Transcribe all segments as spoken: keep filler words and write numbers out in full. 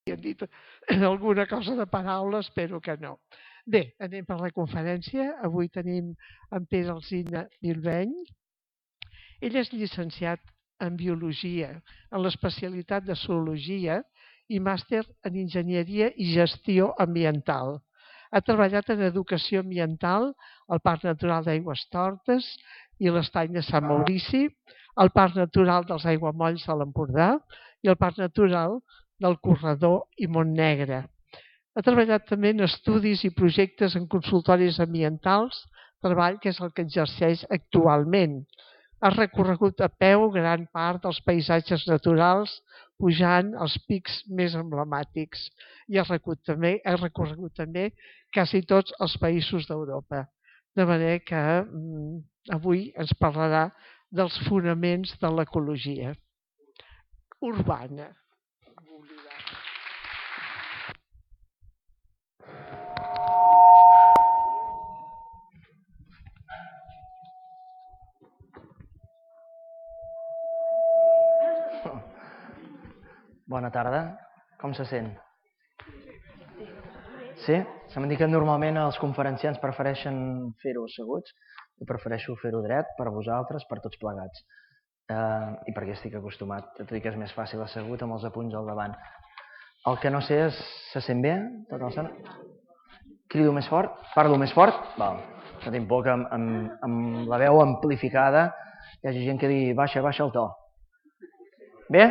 he dit alguna cosa de paraula, espero que no. Bé, anem per la conferència. Avui tenim en Pere Alsina Bilbeny. Ell és llicenciat en Biologia, en l'especialitat de Zoologia i màster en Enginyeria i Gestió Ambiental. Ha treballat en Educació Ambiental al Parc Natural d'Aigüestortes i l'Estany de Sant Maurici, al Parc Natural dels Aiguamolls de l'Empordà i al Parc Natural del Corredor i Montnegre. Ha treballat també en estudis i projectes en consultoris ambientals, treball que és el que exerceix actualment. Ha recorregut a peu gran part dels paisatges naturals, pujant els pics més emblemàtics, i ha recorregut també, ha recorregut també quasi tots els països d'Europa. De manera que mm, avui ens parlarà dels fonaments de l'ecologia urbana. Bona tarda. Com se sent? Sí? Se m'ha dit que normalment els conferenciants prefereixen fer-ho asseguts. Jo prefereixo fer-ho dret per vosaltres, per tots plegats. Eh, I perquè estic acostumat, tot i que és més fàcil assegut amb els apunts al davant. El que no sé és, se sent bé? Tota l'estona? Crido més fort? Parlo més fort? Val. No tinc por que amb, amb, amb la veu amplificada hi hagi gent que digui baixa, baixa el to. Bé?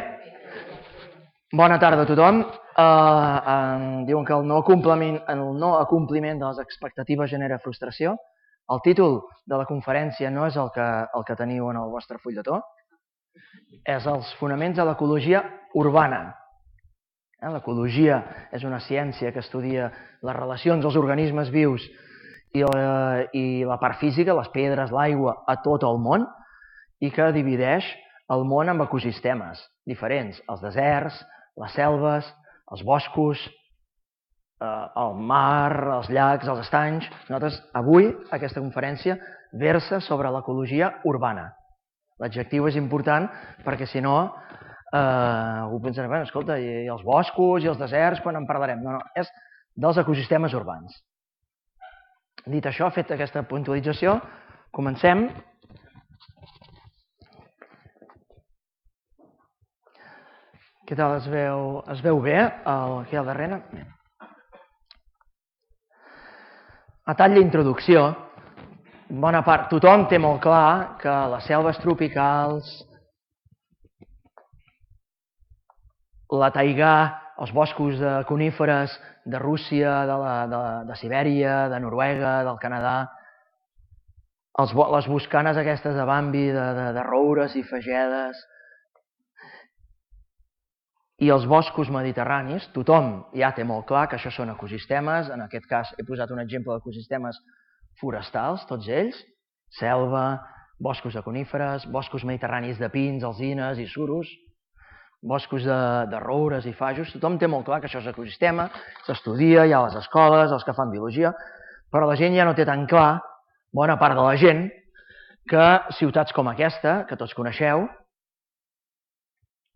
Bona tarda a tothom. Uh, uh, diuen que el no, compliment, el no acompliment de les expectatives genera frustració. El títol de la conferència no és el que, el que teniu en el vostre fulletó, és els fonaments de l'ecologia urbana. Eh, l'ecologia és una ciència que estudia les relacions dels organismes vius i la, i la part física, les pedres, l'aigua, a tot el món, i que divideix el món en ecosistemes diferents, els deserts, les selves, els boscos, eh, el mar, els llacs, els estanys. Nosaltres, avui, aquesta conferència versa sobre l'ecologia urbana. L'adjectiu és important perquè, si no, eh, algú pensarà, bueno, escolta, i els boscos i els deserts, quan en parlarem? No, no, és dels ecosistemes urbans. Dit això, fet aquesta puntualització, comencem. Què tal? Es veu, es veu bé el, aquí al darrere? A tall d'introducció, bona part, tothom té molt clar que les selves tropicals, la taigà, els boscos de coníferes de Rússia, de, la, de, de Sibèria, de Noruega, del Canadà, els, les boscanes aquestes de Bambi, de, de, de roures i fagedes, i els boscos mediterranis, tothom ja té molt clar que això són ecosistemes. En aquest cas he posat un exemple d'ecosistemes forestals, tots ells, selva, boscos de coníferes, boscos mediterranis de pins, alzines i suros, boscos de, de roures i fajos. Tothom té molt clar que això és ecosistema, s'estudia, hi ha a les escoles, els que fan biologia, però la gent ja no té tan clar, bona part de la gent, que ciutats com aquesta, que tots coneixeu,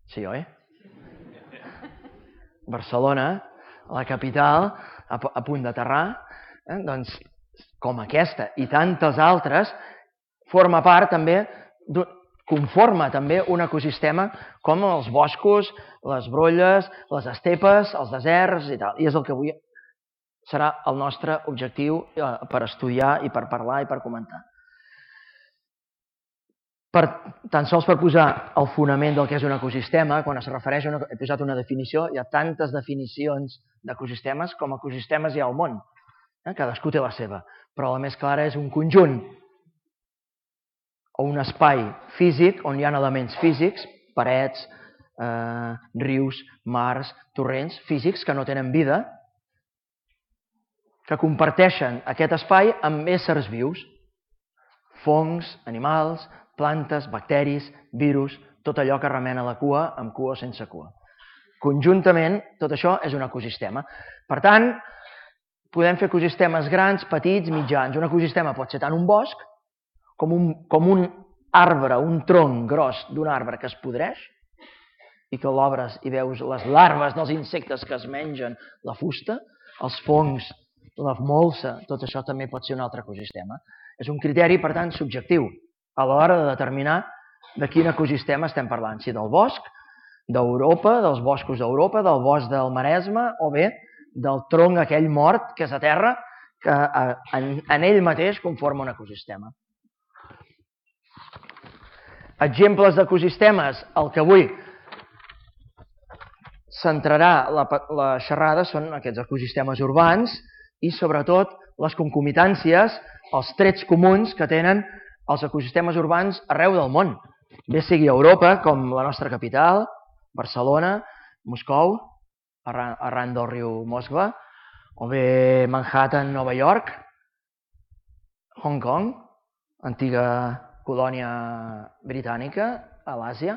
sí, oi? Barcelona, la capital, a, a punt d'aterrar, eh? Doncs, com aquesta i tantes altres, forma part també, conforma també un ecosistema com els boscos, les brolles, les estepes, els deserts i tal. I és el que avui serà el nostre objectiu eh, per estudiar i per parlar i per comentar. Per, tan sols per posar el fonament del que és un ecosistema, quan es refereix a una, he posat una definició, hi ha tantes definicions d'ecosistemes com ecosistemes hi ha al món. Eh? Cadascú té la seva, però la més clara és un conjunt o un espai físic on hi ha elements físics, parets, eh, rius, mars, torrents, físics que no tenen vida, que comparteixen aquest espai amb éssers vius, fongs, animals, plantes, bacteris, virus, tot allò que remena la cua, amb cua o sense cua. Conjuntament, tot això és un ecosistema. Per tant, podem fer ecosistemes grans, petits, mitjans. Un ecosistema pot ser tant un bosc com un, com un arbre, un tronc gros d'un arbre que es podreix i que l'obres i veus les larves dels insectes que es mengen la fusta, els fongs, la molsa, tot això també pot ser un altre ecosistema. És un criteri, per tant, subjectiu a l'hora de determinar de quin ecosistema estem parlant, si del bosc d'Europa, dels boscos d'Europa, del bosc del Maresme o bé del tronc aquell mort que és a terra, que en ell mateix conforma un ecosistema. Exemples d'ecosistemes, el que avui centrarà la xerrada són aquests ecosistemes urbans i sobretot les concomitàncies, els trets comuns que tenen els ecosistemes urbans arreu del món, bé sigui Europa, com la nostra capital, Barcelona, Moscou, arran del riu Moskva, o bé Manhattan, Nova York, Hong Kong, antiga colònia britànica a l'Àsia,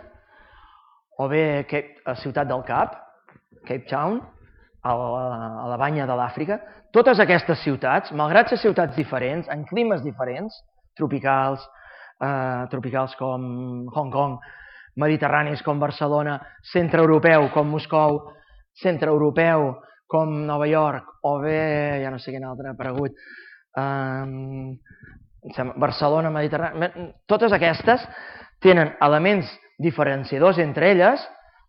o bé a Ciutat del Cap, Cape Town, a la banya de l'Àfrica. Totes aquestes ciutats, malgrat ser ciutats diferents, en climes diferents, tropicals, tropicals com Hong Kong, mediterranis com Barcelona, centreeuropeu com Moscou, centreeuropeu com Nova York, o bé, ja no sé quin altre ha aparegut, Barcelona, Mediterrani... Totes aquestes tenen elements diferenciadors entre elles,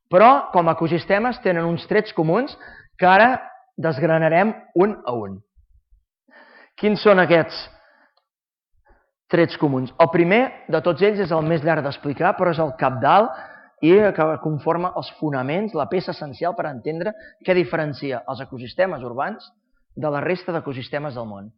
però com a ecosistemes tenen uns trets comuns que ara desgranarem un a un. Quins són aquests trets comuns? El primer de tots ells és el més llarg d'explicar, però és el cabdal i que conforma els fonaments, la peça essencial per entendre què diferencia els ecosistemes urbans de la resta d'ecosistemes del món.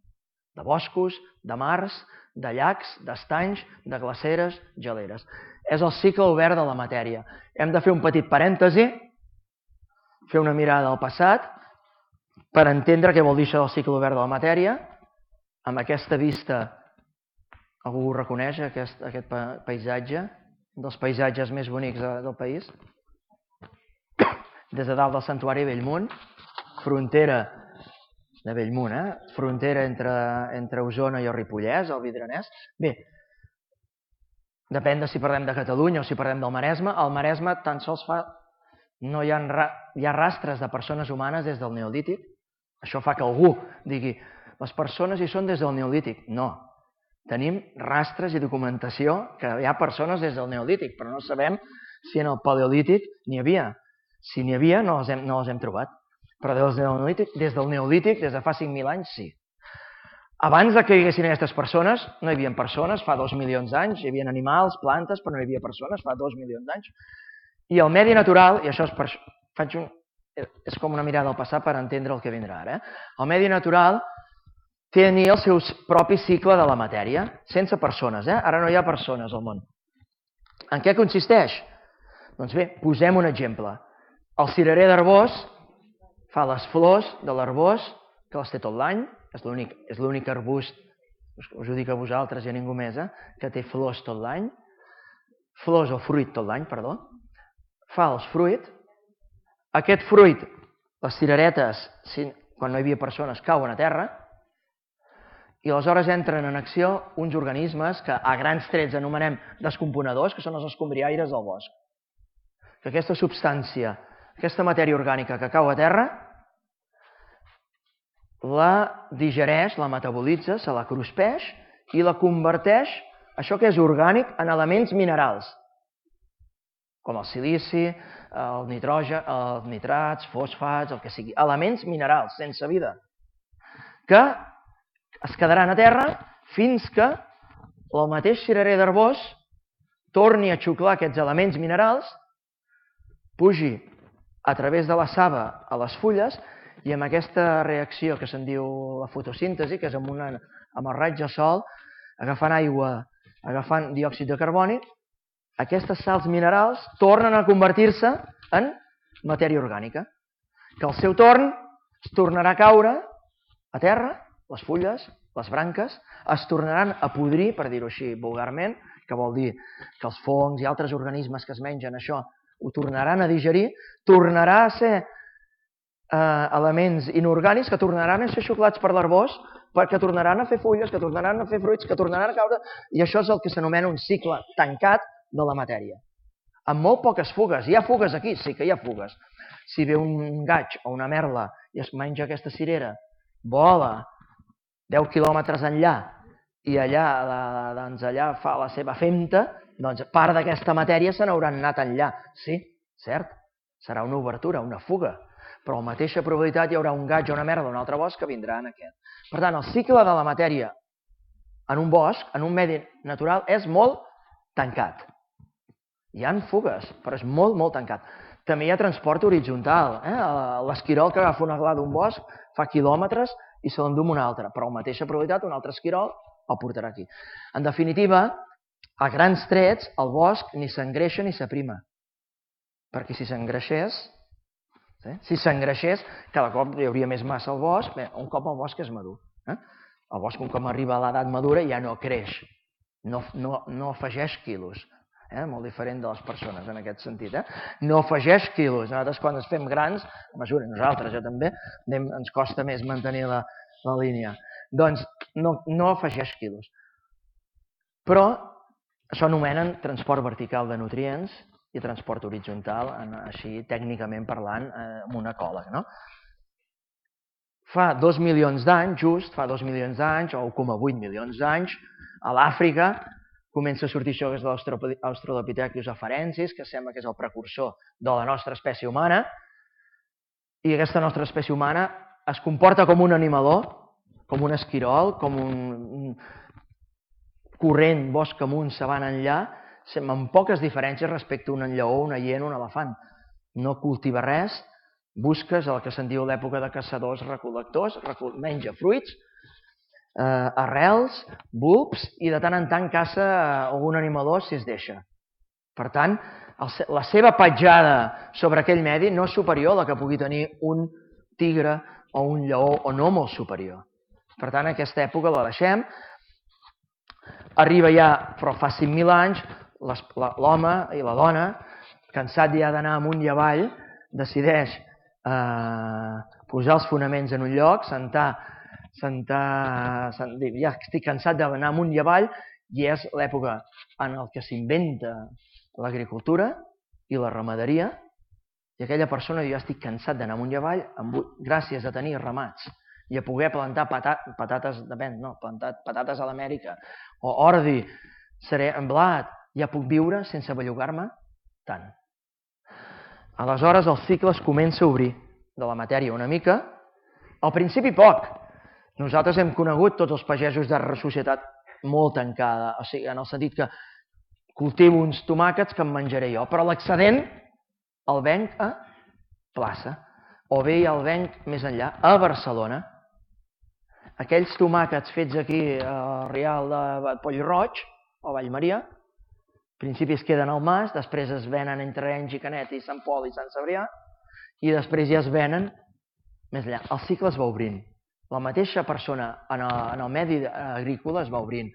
De boscos, de mars, de llacs, d'estanys, de glaceres, geleres. És el cicle obert de la matèria. Hem de fer un petit parèntesi, fer una mirada al passat, per entendre què vol dir això del cicle obert de la matèria. Amb aquesta vista, algú ho reconeix, aquest paisatge, un dels paisatges més bonics del país. Des de dalt del Santuari Bellmunt, frontera de Bellmunt, eh? Frontera entre Osona i el Ripollès, el Vidranès. Bé, depèn de si parlem de Catalunya o si parlem del Maresme. Al Maresme tan sols fa... no hi ha, hi ha rastres de persones humanes des del Neolític. Això fa que algú digui les persones hi són des del Neolític. No, tenim rastres i documentació que hi ha persones des del Neolític, però no sabem si en el Paleolític n'hi havia. Si n'hi havia, no les hem, no les hem trobat. Però des del Neolític, des del Neolític, des de fa cinc mil anys, sí. Abans que hi haguessin aquestes persones, no hi havia persones, fa dos milions d'anys, hi havia animals, plantes, però no hi havia persones, fa dos milions d'anys. I el medi natural, i això és, per, faig un, és com una mirada al passat per entendre el que vindrà ara, eh? El medi natural tenia el seu propi cicle de la matèria, sense persones, eh? Ara no hi ha persones al món. En què consisteix? Doncs bé, posem un exemple. El cirerer d'Arbós fa les flors de l'arbós, que les té tot l'any, és l'únic arbust, us ho dic a vosaltres i a ningú més, eh? Que té flors tot l'any, flors o fruit tot l'any, perdó, fa els fruit, aquest fruit, les cireretes, quan no hi havia persones, cauen a terra, i aleshores entren en acció uns organismes que a grans trets anomenem descomponedors, que són els escombriaires del bosc. Que aquesta substància, aquesta matèria orgànica que cau a terra, la digereix, la metabolitza, se la cruspeix i la converteix, això que és orgànic, en elements minerals, com el silici, el nitrogen, els nitrats, fosfats, el que sigui, elements minerals, sense vida, que es quedaran a terra fins que el mateix cirerer d'Arbós torni a xuclar aquests elements minerals, pugi a través de la saba a les fulles i amb aquesta reacció que se'n diu la fotosíntesi, que és amb, una, amb el raig de sol, agafant aigua, agafant diòxid de carboni, aquestes sals minerals tornen a convertir-se en matèria orgànica, que al seu torn es tornarà a caure a terra, les fulles, les branques, es tornaran a podrir, per dir-ho així vulgarment, que vol dir que els fongs i altres organismes que es mengen això ho tornaran a digerir, tornarà a ser eh, elements inorgànics que tornaran a ser xuclats per l'arbós, que tornaran a fer fulles, que tornaran a fer fruits, que tornaran a caure, i això és el que s'anomena un cicle tancat de la matèria. amb molt poques fugues. Hi ha fugues aquí? Sí que hi ha fugues. Si ve un gaig o una merla i es menja aquesta cirera, vola deu quilòmetres enllà i allà, doncs allà fa la seva femta, doncs part d'aquesta matèria se n'hauran anat enllà. Sí, cert, serà una obertura, una fuga, però a la mateixa probabilitat hi haurà un gaig o una merda d'un altre bosc que vindrà en aquest. Per tant, el cicle de la matèria en un bosc, en un medi natural, és molt tancat. Hi ha fugues, però és molt, molt tancat. També hi ha transport horitzontal. L'esquirol que agafa una gla d'un bosc fa quilòmetres i se l'endú un altre, però a la mateixa probabilitat un altre esquirol el portarà aquí. En definitiva, a grans trets, el bosc ni s'engreixa ni s'aprima. Perquè si s'engreixés, si s'engreixés, cada cop hi hauria més massa al bosc. Bé, un cop el bosc és madur. El bosc, un cop arriba a l'edat madura, ja no creix, no afegeix quilos. Molt diferent de les persones en aquest sentit. No afegeix quilos. Nosaltres quan ens fem grans, a mesura, nosaltres, jo també, ens costa més mantenir la línia. Doncs no afegeix quilos. Però això anomenen transport vertical de nutrients i transport horitzontal, així tècnicament parlant, amb un ecòleg. Fa dos milions d'anys, just fa dos milions d'anys, o un coma vuit milions d'anys, a l'Àfrica comença a sortir això que és l'Australopithecus afarensis, que sembla que és el precursor de la nostra espècie humana, i aquesta nostra espècie humana es comporta com un animaló, com un esquirol, com un corrent bosc amunt, savant enllà, amb poques diferències respecte a un lleó, una hiena, un elefant. No cultiva res, busques el que se'n diu l'època de caçadors-recol·lectors, menja fruits, arrels, bulbs, i de tant en tant caça algun animaló si es deixa. Per tant, la seva petjada sobre aquell medi no és superior a la que pugui tenir un tigre o un lleó, o no molt superior. Per tant, aquesta època la deixem. Arriba ja, però fa cinc mil anys, l'home i la dona, cansat ja d'anar amunt i avall, decideix posar els fonaments en un lloc, sentar ja estic cansat d'anar amunt i avall, i és l'època en què s'inventa l'agricultura i la ramaderia, i aquella persona diu, ja estic cansat d'anar amunt i avall, gràcies a tenir ramats i a poder plantar patates de vent, no, plantar patates a l'Amèrica, o ordi, blat, ja puc viure sense bellugar-me tant. Aleshores el cicle es comença a obrir de la matèria una mica, al principi poc. Nosaltres hem conegut tots els pagesos de societat molt tancada, o sigui, en el sentit que cultivo uns tomàquets que em menjaré jo, però l'excedent el venc a plaça, o bé el venc més enllà, a Barcelona. Aquells tomàquets fets aquí al Rial de Poll-roig o Vallmaria, al principi es queden al mas, després es venen entre Arenys i Canet i Sant Pol i Sant Cebrià, i després ja es venen més enllà. El cicle es va obrint. La mateixa persona en el medi agrícola es va obrint.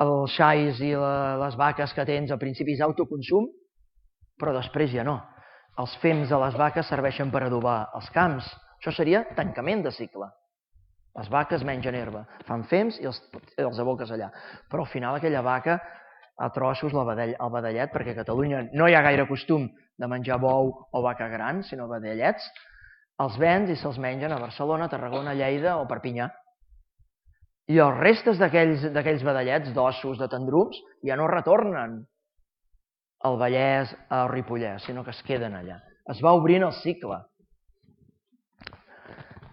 Els xais i les vaques que tens al principi és autoconsum, però després ja no. Els fems de les vaques serveixen per adobar els camps. Això seria tancament de cicle. Les vaques mengen herba, fan fems i els aboques allà. Però al final aquella vaca a trossos el vedellet, perquè a Catalunya no hi ha gaire costum de menjar bou o vaca gran, sinó vedellets, els vens i se'ls mengen a Barcelona, Tarragona, Lleida o Perpinyà. I els restes d'aquells vedellets, d'ossos, de tendrums, ja no retornen al Vallès, al Ripollès, sinó que es queden allà. Es va obrint el cicle.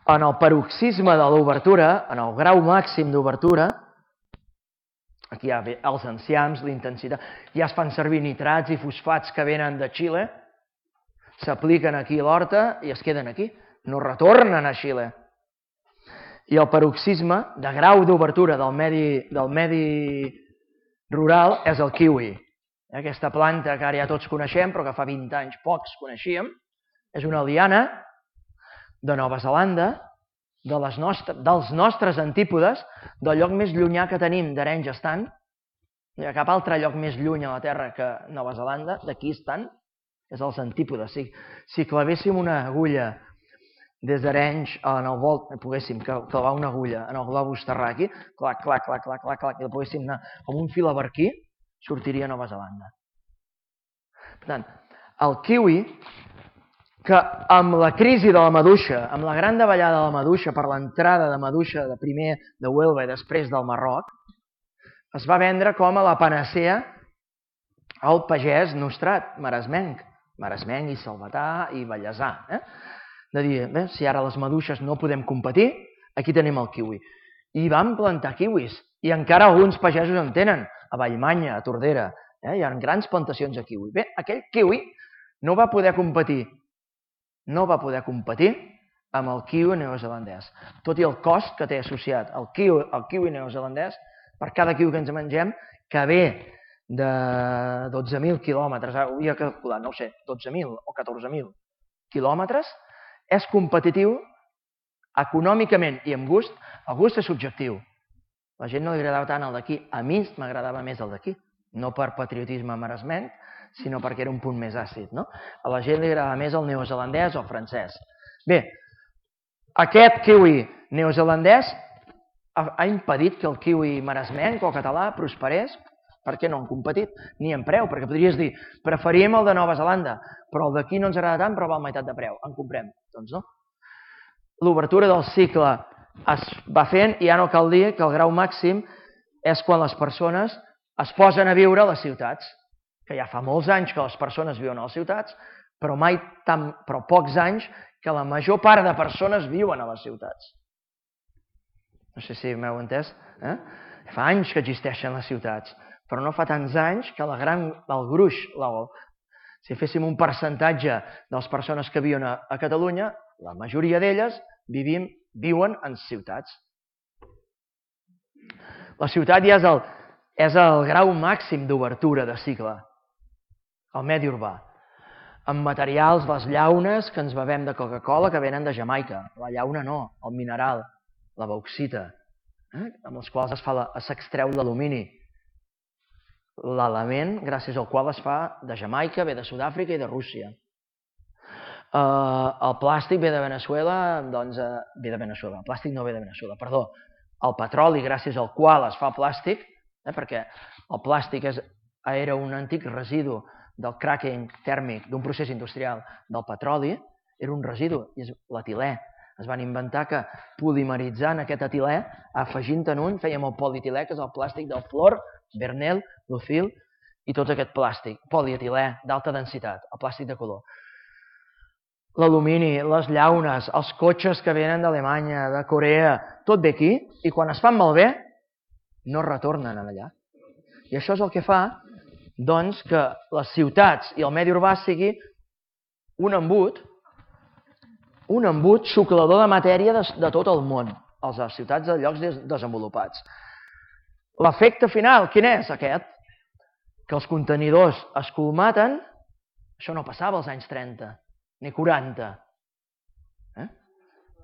En el paroxisme de l'obertura, en el grau màxim d'obertura, aquí hi ha els enciams, l'intensitat, ja es fan servir nitrats i fosfats que venen de Xile, s'apliquen aquí a l'horta i es queden aquí, no retornen a Xile. I el paroxisme de grau d'obertura del medi rural és el kiwi. Aquesta planta que ara ja tots coneixem, però que fa vint anys pocs coneixíem, és una liana de Nova Zelanda, dels nostres antípodes, del lloc més llunyà que tenim d'Arenys estan, no hi ha cap altre lloc més lluny a la Terra que Nova Zelanda, d'aquí estan, és els antípodes. Si clavéssim una agulla des d'Arenys en el volt, poguéssim clavar una agulla en el globus terraqui, clac, clac, clac, clac, clac, i la poguéssim anar com un fil a barquí, sortiria a Nova Zelanda. Per tant, el kiwi, que amb la crisi de la maduixa, amb la gran davallada de la maduixa per l'entrada de maduixa de primer de Huelva i després del Marroc, es va vendre com a la panacea al pagès nostrat, maresmenc, maresmenc i salvatà i ballesà. Eh? De dir, bé, si ara les maduixes no podem competir, aquí tenim el kiwi. I van plantar kiwis, i encara alguns pagesos en tenen, a Vallmanya, a Tordera. Eh? Hi ha grans plantacions de kiwi. Bé, aquell kiwi no va poder competir, no va poder competir amb el kiwi neozelandès, tot i el cost que té associat el kiwi, el kiwi neozelandès, per cada kiwi que ens mengem, que ve de dotze mil quilòmetres, ara ho havia calculat, no ho sé, dotze mil o catorze mil quilòmetres, és competitiu econòmicament i amb gust. El gust és subjectiu. A la gent no li agradava tant el d'aquí, a mi m'agradava més el d'aquí, no per patriotisme maresmenc, sinó perquè era un punt més àcid. No? A la gent li agradava més el neozelandès o el francès. Bé, aquest kiwi neozelandès ha impedit que el kiwi maresmenc o català prosperés, perquè no han competit, ni en preu, perquè podries dir, preferim el de Nova Zelanda, però el d'aquí no ens agrada tant, però val meitat de preu, en comprem. Doncs no. L'obertura del cicle es va fent i ja no cal dir que el grau màxim és quan les persones es posen a viure a les ciutats, que ja fa molts anys que les persones viuen a les ciutats, però mai tan, però pocs anys que la major part de persones viuen a les ciutats. No sé si m'heu entès. Eh? Fa anys que existeixen les ciutats, però no fa tants anys que la gran, el gruix, la, si féssim un percentatge de les persones que viuen a, a Catalunya, la majoria d'elles vivim, viuen en ciutats. La ciutat ja és el, és el grau màxim d'obertura de cicle, el medi urbà. Amb materials, les llaunes que ens bevem de Coca-Cola que venen de Jamaica. La llauna no, el mineral, la bauxita, eh? amb els quals s'extreu l'alumini. L'element gràcies al qual es fa de Jamaica, ve de Sud-àfrica i de Rússia. Uh, el plàstic ve de Veneçuela, doncs, uh, ve de Veneçuela, el plàstic no ve de Veneçuela, perdó. El petroli gràcies al qual es fa plàstic, eh, perquè el plàstic és, era un antic residu del cracking tèrmic d'un procés industrial del petroli, era un residu, i és l'etilè. Es van inventar que polimeritzant aquest etilè, afegint-en un, fèiem el polietilè, que és el plàstic del fluor, Vernel, Lucil i tot aquest plàstic, polietilè d'alta densitat, el plàstic de color. L'alumini, les llaunes, els cotxes que venen d'Alemanya, de Corea, tot ve aquí, i quan es fan malbé, no retornen allà. I això és el que fa, doncs, que les ciutats i el medi urbà sigui un embut, un embut xuclador de matèria de, de tot el món, a les ciutats de llocs desenvolupats. L'efecte final, quin és aquest? Que els contenidors es colmaten, això no passava als anys trenta, ni quaranta. Eh?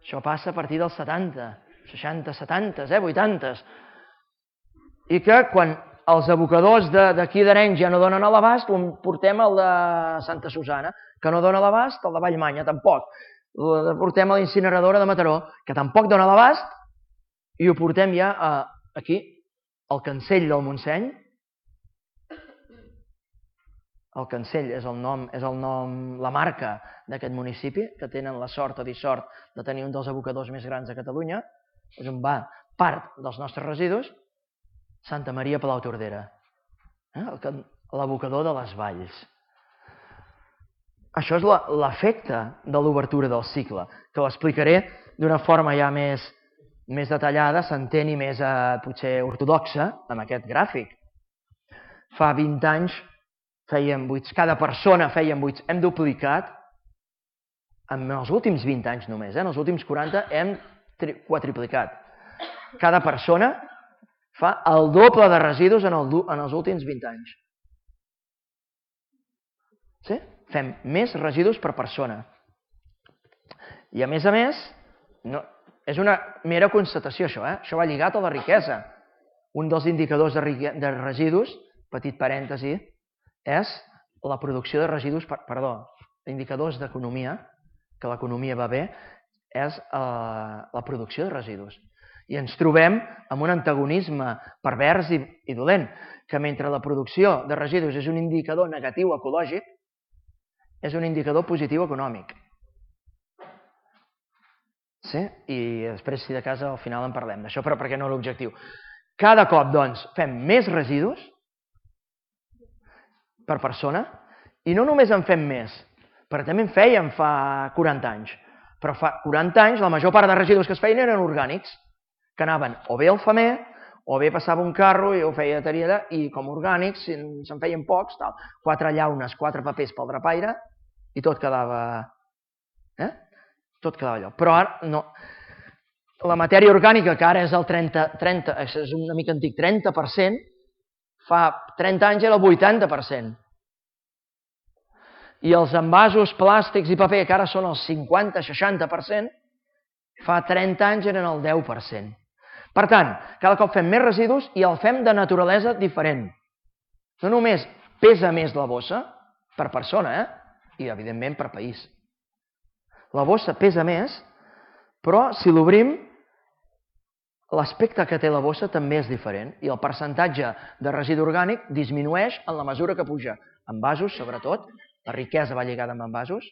Això passa a partir dels setanta, seixanta, setanta, eh? vuitanta. I que quan els abocadors d'aquí d'Arenys ja no donen a l'abast, portem el de Santa Susana, que no dona a l'abast, el de Vallmanya tampoc. Portem a la incineradora de Mataró, que tampoc dona a l'abast, i ho portem ja a, aquí, al Cancell del Montseny. El Cancell és el nom, és el nom, la marca d'aquest municipi, que tenen la sort o dissort de tenir un dels abocadors més grans de Catalunya, és on va part dels nostres residus, Santa Maria Palau Tordera, eh? l'abocador de les valls. Això és l'efecte de l'obertura del cicle, que l'explicaré d'una forma ja més, més detallada, s'enteni més eh, potser ortodoxa, amb aquest gràfic. Fa vint anys fèiem buits, cada persona feien buits, hem duplicat, en els últims vint anys només, eh? en els últims quaranta hem quadriplicat. Cada persona fa el doble de residus en, el, en els últims vint anys. Sí? Fem més residus per persona. I a més a més, no, és una mera constatació això, eh? Això va lligat a la riquesa. Un dels indicadors de, de residus, petit parèntesi, és la producció de residus, perdó, indicadors d'economia, que l'economia va bé, és eh, la producció de residus. I ens trobem amb un antagonisme pervers i, i dolent, que mentre la producció de residus és un indicador negatiu ecològic, és un indicador positiu econòmic. Sí? I després, si de casa, al final en parlem d'això, però perquè no l'objectiu. Cada cop, doncs, fem més residus per persona, i no només en fem més, perquè també en fèiem fa quaranta anys, però fa quaranta anys la major part de residus que es feien eren orgànics, que anaven o bé al femer, o bé passava un carro i ho feia de allà, i com orgànics se'n feien pocs, tal, quatre llaunes, quatre papers pel drapaire, i tot quedava... Eh? Tot quedava allò. Però ara no... La matèria orgànica, que ara és el trenta, trenta, és una mica antic, trenta per cent, fa trenta anys era el vuitanta per cent. I els envasos plàstics i paper, que ara són el cinquanta seixanta per cent, fa trenta anys eren el deu per cent. Per tant, cada cop fem més residus i el fem de naturalesa diferent. No només pesa més la bossa, per persona, eh? I evidentment per país. La bossa pesa més, però si l'obrim, l'aspecte que té la bossa també és diferent i el percentatge de residu orgànic disminueix en la mesura que puja. Envasos, sobretot, la riquesa va lligada amb envasos,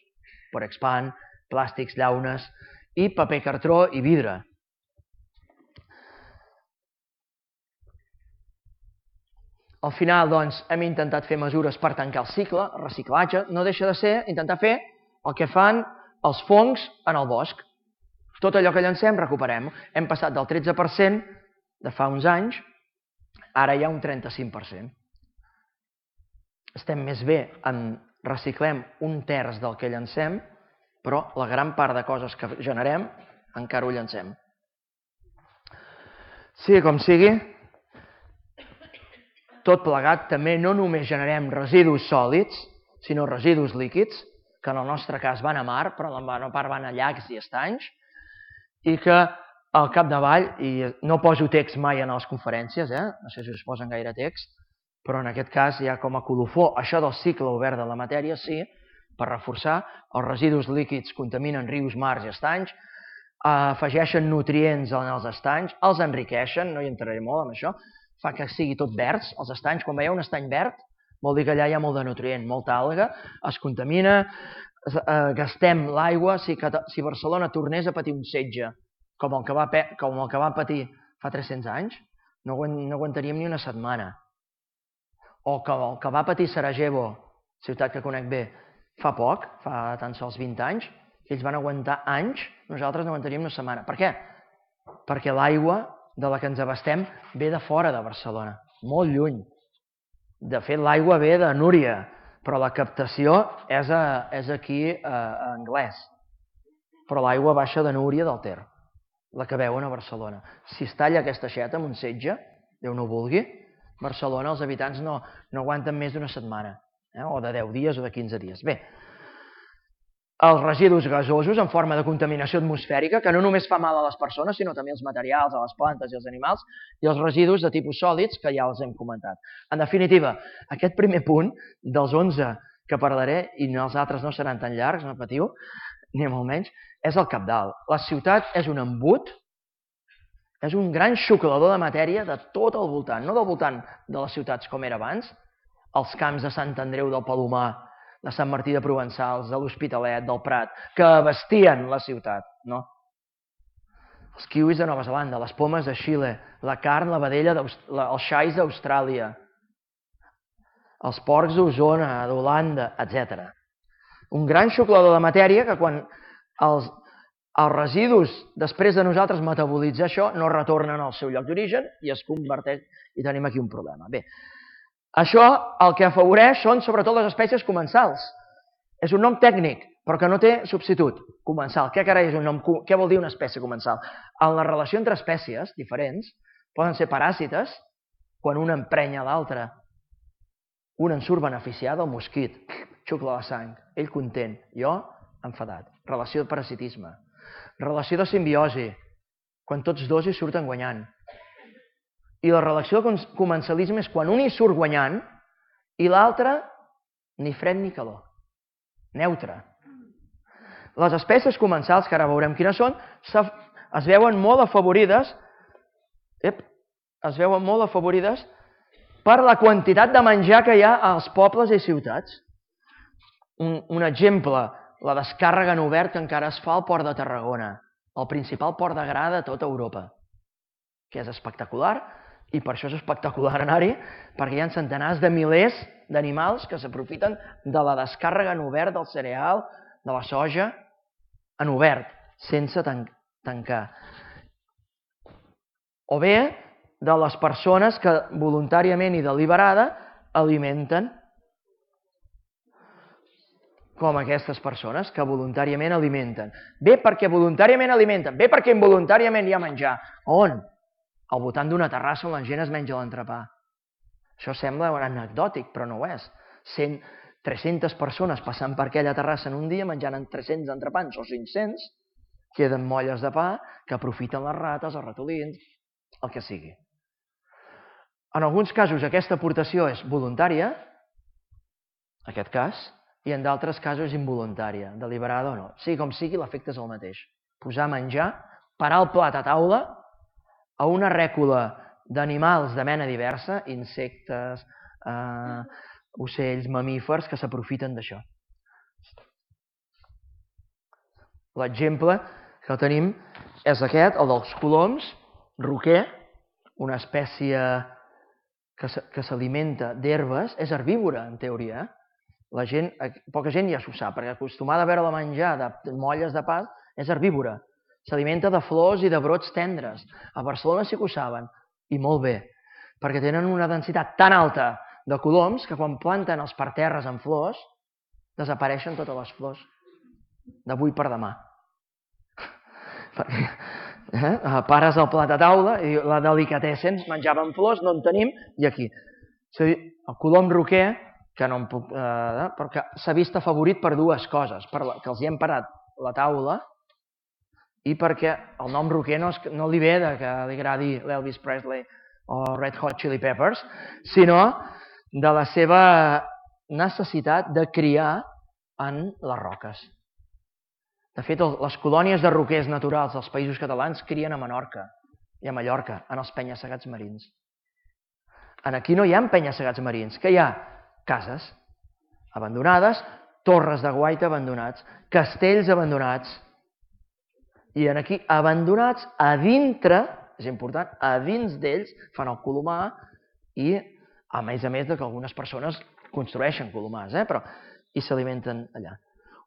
Porexpan, plàstics, llaunes, i paper cartró i vidre. Al final, doncs, hem intentat fer mesures per tancar el cicle, el reciclatge, no deixa de ser intentar fer el que fan els fongs en el bosc. Tot allò que llancem, recuperem. Hem passat del tretze per cent de fa uns anys, ara hi ha un trenta-cinc per cent. Estem més bé en reciclem un terç del que llancem, però la gran part de coses que generem encara ho llancem. Sigui com sigui, tot plegat també no només generem residus sòlids, sinó residus líquids, que en el nostre cas van a mar, però en la part van a llacs i estanys, i que al capdavall, i no poso text mai en les conferències, eh? No sé si us posen gaire text, però en aquest cas ja com a colofó, això del cicle obert de la matèria, sí, per reforçar, els residus líquids contaminen rius, mars i estanys, afegeixen nutrients en els estanys, els enriqueixen, no hi entraré molt amb això, fa que sigui tot verds, els estanys, quan veieu un estany verd, vol dir que allà hi ha molt de nutrient, molta alga, es contamina, gastem l'aigua, si Barcelona tornés a patir un setge com el que va patir fa tres-cents anys, no aguantaríem ni una setmana. O que el que va patir Sarajevo, ciutat que conec bé, fa poc, fa tan sols vint anys, ells van aguantar anys, nosaltres no aguantaríem una setmana. Per què? Perquè l'aigua de la que ens abastem ve de fora de Barcelona, molt lluny. De fet, l'aigua ve de Núria, però la captació és aquí a Anglès. Però l'aigua baixa de Núria del Ter, la que veuen a Barcelona. Si es talla aquesta aixeta amb un setge, Déu no ho vulgui, Barcelona els habitants no aguanten més d'una setmana, o de deu dies o de quinze dies. Bé, els residus gasosos en forma de contaminació atmosfèrica, que no només fa mal a les persones, sinó també als materials, a les plantes i als animals, i els residus de tipus sòlids, que ja els hem comentat. En definitiva, aquest primer punt, dels onze que parlaré, i els altres no seran tan llargs, no patiu, ni molt menys, és el cabdal. La ciutat és un embut, és un gran xuclador de matèria de tot el voltant, no del voltant de les ciutats com era abans, els camps de Sant Andreu del Palomar, de Sant Martí de Provençals, de l'Hospitalet, del Prat, que abastien la ciutat, no? Els kiwis de Nova Zelanda, les pomes de Xile, la carn, la vedella, els xais d'Austràlia, els porcs d'Osona, d'Holanda, etcètera. Un gran xuclador de matèria que quan els residus, després de nosaltres metabolitzar això, no retornen al seu lloc d'origen i es converteix, i tenim aquí un problema. Bé, això el que afavoreix són sobretot les espècies comensals. És un nom tècnic, però que no té substitut. Comensal. Què carai és un nom? Què vol dir una espècie comensal? En la relació entre espècies diferents poden ser paràsites, quan una emprenya l'altra, un en surt beneficiat, el mosquit, xucla la sang, ell content, jo enfadat. Relació de parasitisme. Relació de simbiosi, quan tots dos hi surten guanyant. I la relació de comensalisme és quan un hi surt guanyant i l'altre ni fred ni calor. Neutre. Les espècies comensals, que ara veurem quines són, es veuen molt afavorides es veuen molt afavorides per la quantitat de menjar que hi ha als pobles i ciutats. Un, un exemple, la descàrrega en obert que encara es fa al port de Tarragona, el principal port de gra de tota Europa, que és espectacular, i per això és espectacular anar-hi, perquè hi ha centenars de milers d'animals que s'aprofiten de la descàrrega en obert del cereal, de la soja, en obert, sense tan tancar. O bé de les persones que voluntàriament i deliberada alimenten, com aquestes persones que voluntàriament alimenten. Bé perquè voluntàriament alimenten, bé perquè involuntàriament hi ha menjar. On? Al voltant d'una terrassa on la gent es menja l'entrepà. Això sembla anecdòtic, però no ho és. cent, tres-centes persones passant per aquella terrassa en un dia menjant en tres-cents entrepans o cinc-cents, queden molles de pa que aprofiten les rates, els ratolins, el que sigui. En alguns casos aquesta aportació és voluntària, en aquest cas, i en d'altres casos és involuntària, deliberada o no. Sigui com sigui, l'efecte és el mateix. Posar menjar, parar el plat a taula a una rècula d'animals de mena diversa, insectes, eh, ocells, mamífers, que s'aprofiten d'això. L'exemple que tenim és aquest, el dels coloms, roquer, una espècie que s'alimenta d'herbes, és herbívora, en teoria. La gent, poca gent ja s'ho sap, perquè acostumada a veure-la menjar de molles de pa, és herbívora. S'alimenta de flors i de brots tendres. A Barcelona sí que ho saben, i molt bé, perquè tenen una densitat tan alta de coloms que quan planten els parterres en flors, desapareixen totes les flors, d'avui per demà. Eh? Pares el plat a taula i la delicatessen, menjaven flors, no en tenim, i aquí. El colom roquer, que no em puc... Eh, perquè s'ha vist afavorit per dues coses, per la, que els hi hem parat la taula i perquè el nom roquer no, es, no li ve de que li agradi l'Elvis Presley o Red Hot Chili Peppers, sinó de la seva necessitat de criar en les roques. De fet, les colònies de roquers naturals dels països catalans crien a Menorca i a Mallorca, en els penya-segats marins. Aquí no hi ha penya-segats marins, que hi ha cases abandonades, torres de guaita abandonats, castells abandonats, i aquí abandonats a dintre, és important, a dins d'ells fan el colomar i, a més a més que algunes persones construeixen colomars, eh? Però i s'alimenten allà.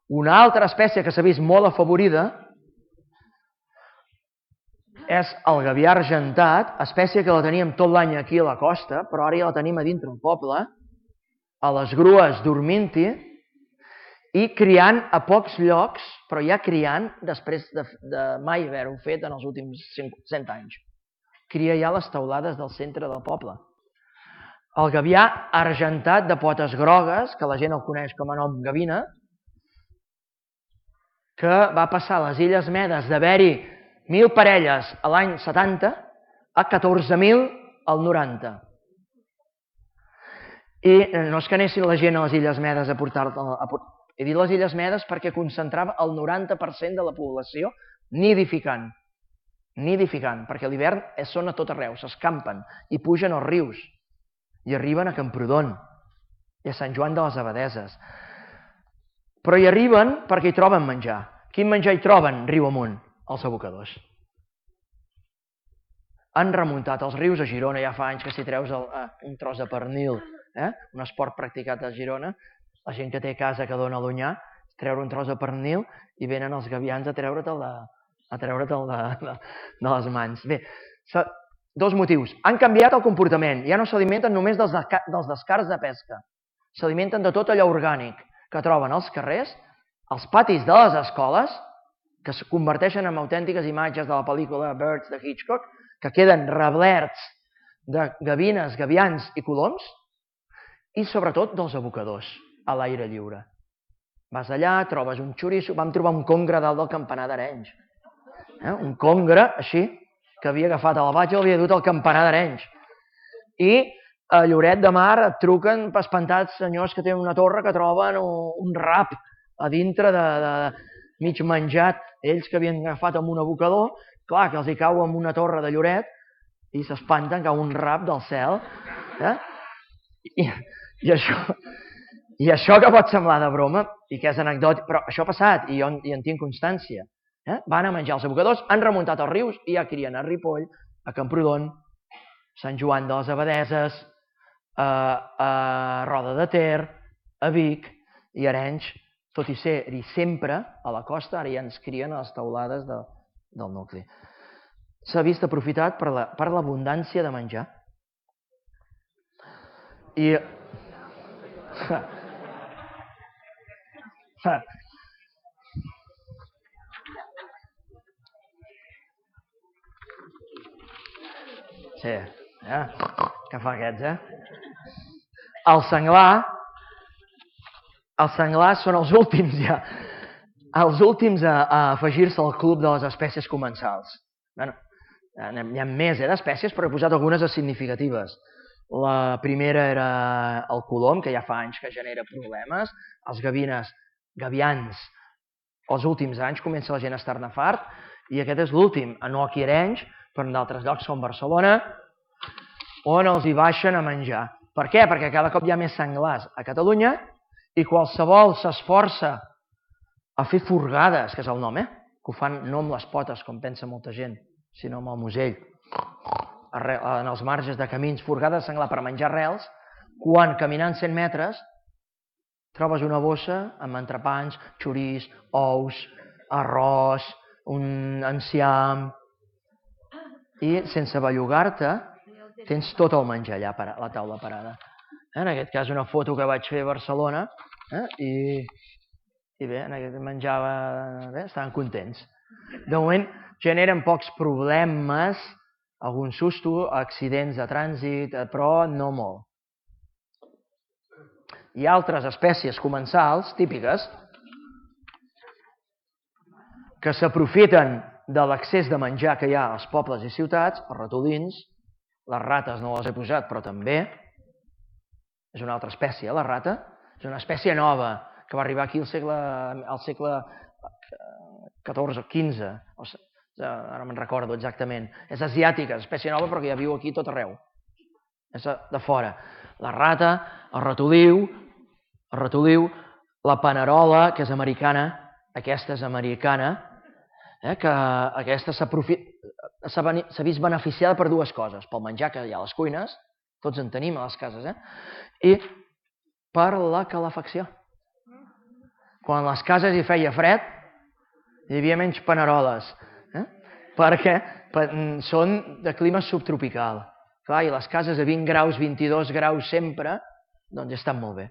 Una altra espècie que s'ha vist molt afavorida és el gavià argentat, espècie que la teníem tot l'any aquí a la costa, però ara ja la tenim a dintre del poble, a les grues dormint-hi i criant a pocs llocs, però ja criant després de, de mai haver-ho fet en els últims cent anys. Cria ja les teulades del centre del poble. El gavià argentat de potes grogues, que la gent el coneix com a nom gavina, que va passar a les Illes Medes d'haver-hi mil parelles a l'any setanta a catorze mil al noranta. I no és que anessin la gent a les Illes Medes a portar-la... He dit les Illes Medes perquè concentrava el noranta per cent de la població nidificant. Nidificant, perquè a l'hivern són a tot arreu, s'escampen i pugen als rius i arriben a Camprodon i a Sant Joan de les Abadeses. Però hi arriben perquè hi troben menjar. Quin menjar hi troben riu amunt? Els abocadors. Han remuntat els rius a Girona, ja fa anys que si treus un tros de pernil, un esport practicat a Girona, la gent que té casa que dona a l'Onyar, treure un tros de pernil i venen els gavians a treure'l de les mans. Bé, dos motius. Han canviat el comportament, ja no s'alimenten només dels descarts de pesca, s'alimenten de tot allò orgànic que troben als carrers, als patis de les escoles, que es converteixen en autèntiques imatges de la pel·lícula Birds de Hitchcock, que queden reblerts de gavines, gavians i coloms, i sobretot dels abocadors a l'aire lliure. Vas allà, trobes un xoriço, vam trobar un congre dalt del campanar d'Arenys. Un congre, així, que havia agafat a la platja i l'havia dut al campanar d'Arenys. I a Lloret de Mar et truquen espantats senyors que tenen una torre que troben un rap a dintre de mig menjat, ells que havien agafat amb un abocador, clar, que els hi cau amb una torre de Lloret i s'espanten, cau un rap del cel. I això I això que pot semblar de broma i que és anecdòtic, però això ha passat i jo en tinc constància. Van a menjar els abocadors, han remuntat els rius i ja crien a Ripoll, a Camprodon, Sant Joan de les Abadeses, a Roda de Ter, a Vic i Arenys, tot i ser-hi sempre a la costa, ara ja ens crien a les teulades del nucli. S'ha vist aprofitat per l'abundància de menjar. I... Sí, que fa aquests, eh? El senglar, els senglars són els últims ja, els últims a afegir-se al club de les espècies comensals. N'hi ha més d'espècies, però he posat algunes significatives. La primera era el colom, que ja fa anys que genera problemes. Els gavines, gavians, els últims anys comença la gent a estar-ne fart, i aquest és l'últim, no aquí a Arenys, però en d'altres llocs com Barcelona, on els hi baixen a menjar. Per què? Perquè cada cop hi ha més senglars a Catalunya i qualsevol s'esforça a fer furgades, que és el nom, eh? Que ho fan no amb les potes, com pensa molta gent, sinó amb el musell, en els marges de camins, furgades de senglar per menjar arrels, quan caminant cent metres trobes una bossa amb entrepans, xoriç, ous, arròs, un enciam, i sense bellugar-te tens tot el menjar allà a la taula parada. En aquest cas una foto que vaig fer a Barcelona i bé, menjava, estaven contents. De moment generen pocs problemes, algun susto, accidents de trànsit, però no molt. Hi ha altres espècies comensals típiques que s'aprofiten de l'excés de menjar que hi ha als pobles i ciutats, els ratolins, les rates no les he posat, però també és una altra espècie, la rata, és una espècie nova que va arribar aquí al segle catorze o quinze, ara me'n recordo exactament. És asiàtica, és espècie nova, però que ja viu aquí tot arreu. És de fora. La rata, el ratoliu, el ratoliu, la panerola, que és americana, aquesta és americana, que aquesta s'ha vist beneficiada per dues coses, pel menjar que hi ha a les cuines, tots en tenim a les cases, i per la calefacció. Quan a les cases hi feia fred, hi havia menys paneroles, perquè són de clima subtropical. Clar, i les cases a vint graus, vint-i-dos graus sempre, doncs estan molt bé.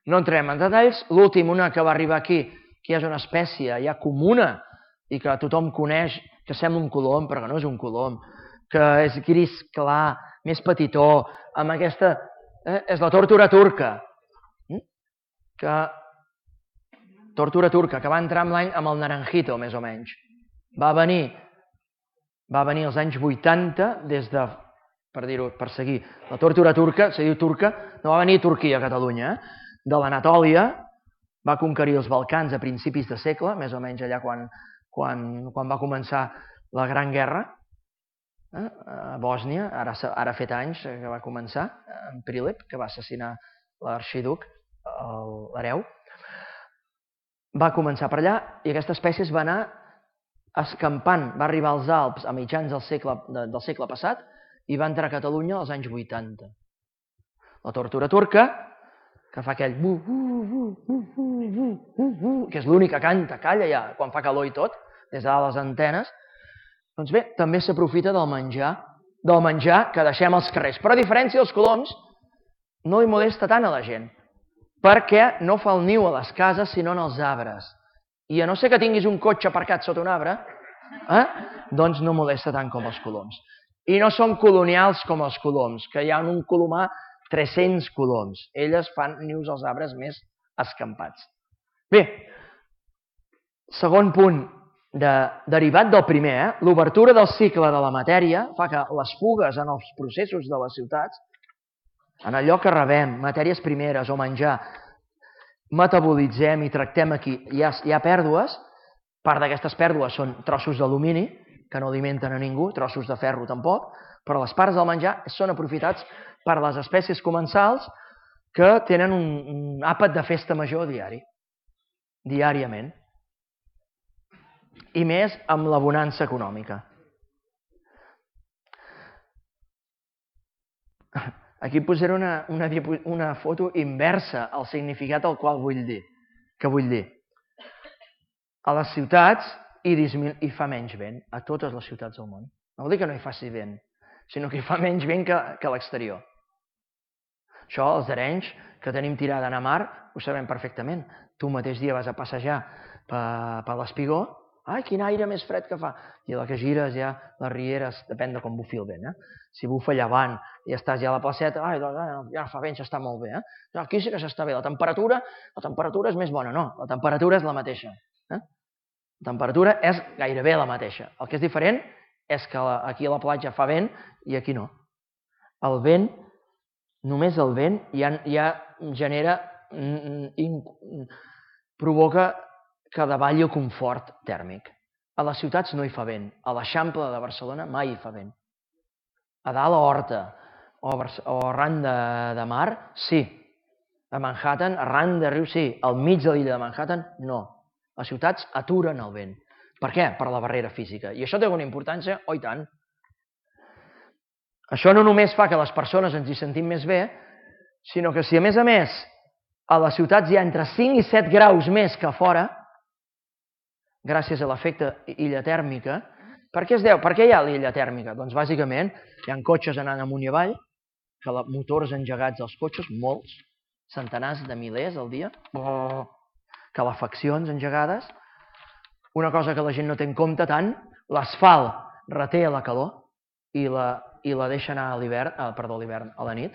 No entrem en detalls. L'últim, una que va arribar aquí, que és una espècie ja comuna i que tothom coneix, que sembla un colom, però que no és un colom, que és gris clar, més petitó, amb aquesta... és la tórtora turca. Tórtora turca, que va entrar amb l'any amb el naranjito, més o menys. Va venir va venir als anys vuitanta, des de, per dir-ho, per seguir, la tórtora turca, se diu turca, no va venir a Turquia, a Catalunya, de l'Anatòlia, va conquerir els Balcans a principis de segle, més o menys allà quan quan va començar la Gran Guerra, a Bòsnia, ara ha fet anys que va començar, en Prilep, que va assassinar l'arxiduc, l'hereu. Va començar per allà i aquesta espècie es va anar escampant, va arribar als Alps a mitjans del segle passat i va entrar a Catalunya als anys vuitanta. La tórtora turca, que fa aquell bu, bu, bu, bu, bu, bu, bu, que és l'únic que canta, calla ja, quan fa calor i tot, des de les antenes, doncs bé, també s'aprofita del menjar, del menjar que deixem als carrers. Però a diferència dels coloms, no li molesta tant a la gent, perquè no fa el niu a les cases, sinó en els arbres. I a no ser que tinguis un cotxe aparcat sota un arbre, doncs no molesta tant com els coloms. I no són colonials com els coloms, que hi ha un colomar tres-cents coloms. Elles fan nius als arbres més escampats. Bé, segon punt, derivat del primer, l'obertura del cicle de la matèria fa que les fugues en els processos de les ciutats, en allò que rebem, matèries primeres o menjar, metabolitzem i tractem aquí, hi ha pèrdues, part d'aquestes pèrdues són trossos d'alumini, que no alimenten a ningú, trossos de ferro tampoc, però les parts del menjar són aprofitats per les espècies comensals que tenen un àpat de festa major diari, diàriament, i més amb la bonança econòmica. Aquí posaré una, una, una foto inversa al significat al qual vull dir. Què vull dir? A les ciutats hi, hi fa menys vent, a totes les ciutats del món. No vol dir que no hi faci vent, sinó que hi fa menys vent que, que a l'exterior. Això, els d'Arenys, que tenim tirada a mar, ho sabem perfectament. Tu mateix dia vas a passejar per, per l'Espigó, ai, quin aire més fred que fa. I a la que gires ja les rieres, depèn de com bufi el vent, eh? Si bufa llevant i estàs ja a la placeta, ai, doncs, ja fa vent, s'està molt bé, eh? Aquí sí que s'està bé. La temperatura, la temperatura és més bona, no, la temperatura és la mateixa. Eh? La temperatura és gairebé la mateixa. El que és diferent és que aquí a la platja fa vent i aquí no. El vent, només el vent, ja, ja genera, provoca que davalli el confort tèrmic. A les ciutats no hi fa vent. A l'Eixample de Barcelona mai hi fa vent. A dalt a Horta o, o arran de, de mar, sí. A Manhattan, arran de riu, sí. Al mig de l'illa de Manhattan, no. Les ciutats aturen el vent. Per què? Per la barrera física. I això té alguna importància? Oh, i tant. Això no només fa que les persones ens hi sentim més bé, sinó que si a més a més a les ciutats hi ha entre cinc i set graus més que a fora, gràcies a l'efecte illa tèrmica. Per què es deu? Per què hi ha l'illa tèrmica? Doncs bàsicament hi ha cotxes anant amunt i avall, que motors engegats als cotxes, molts, centenars de milers al dia, calefaccions engegades. Una cosa que la gent no té en compte tant, l'asfalt reté la calor i la, i la deixa anar a l'hivern, perdó, a l'hivern, a la nit.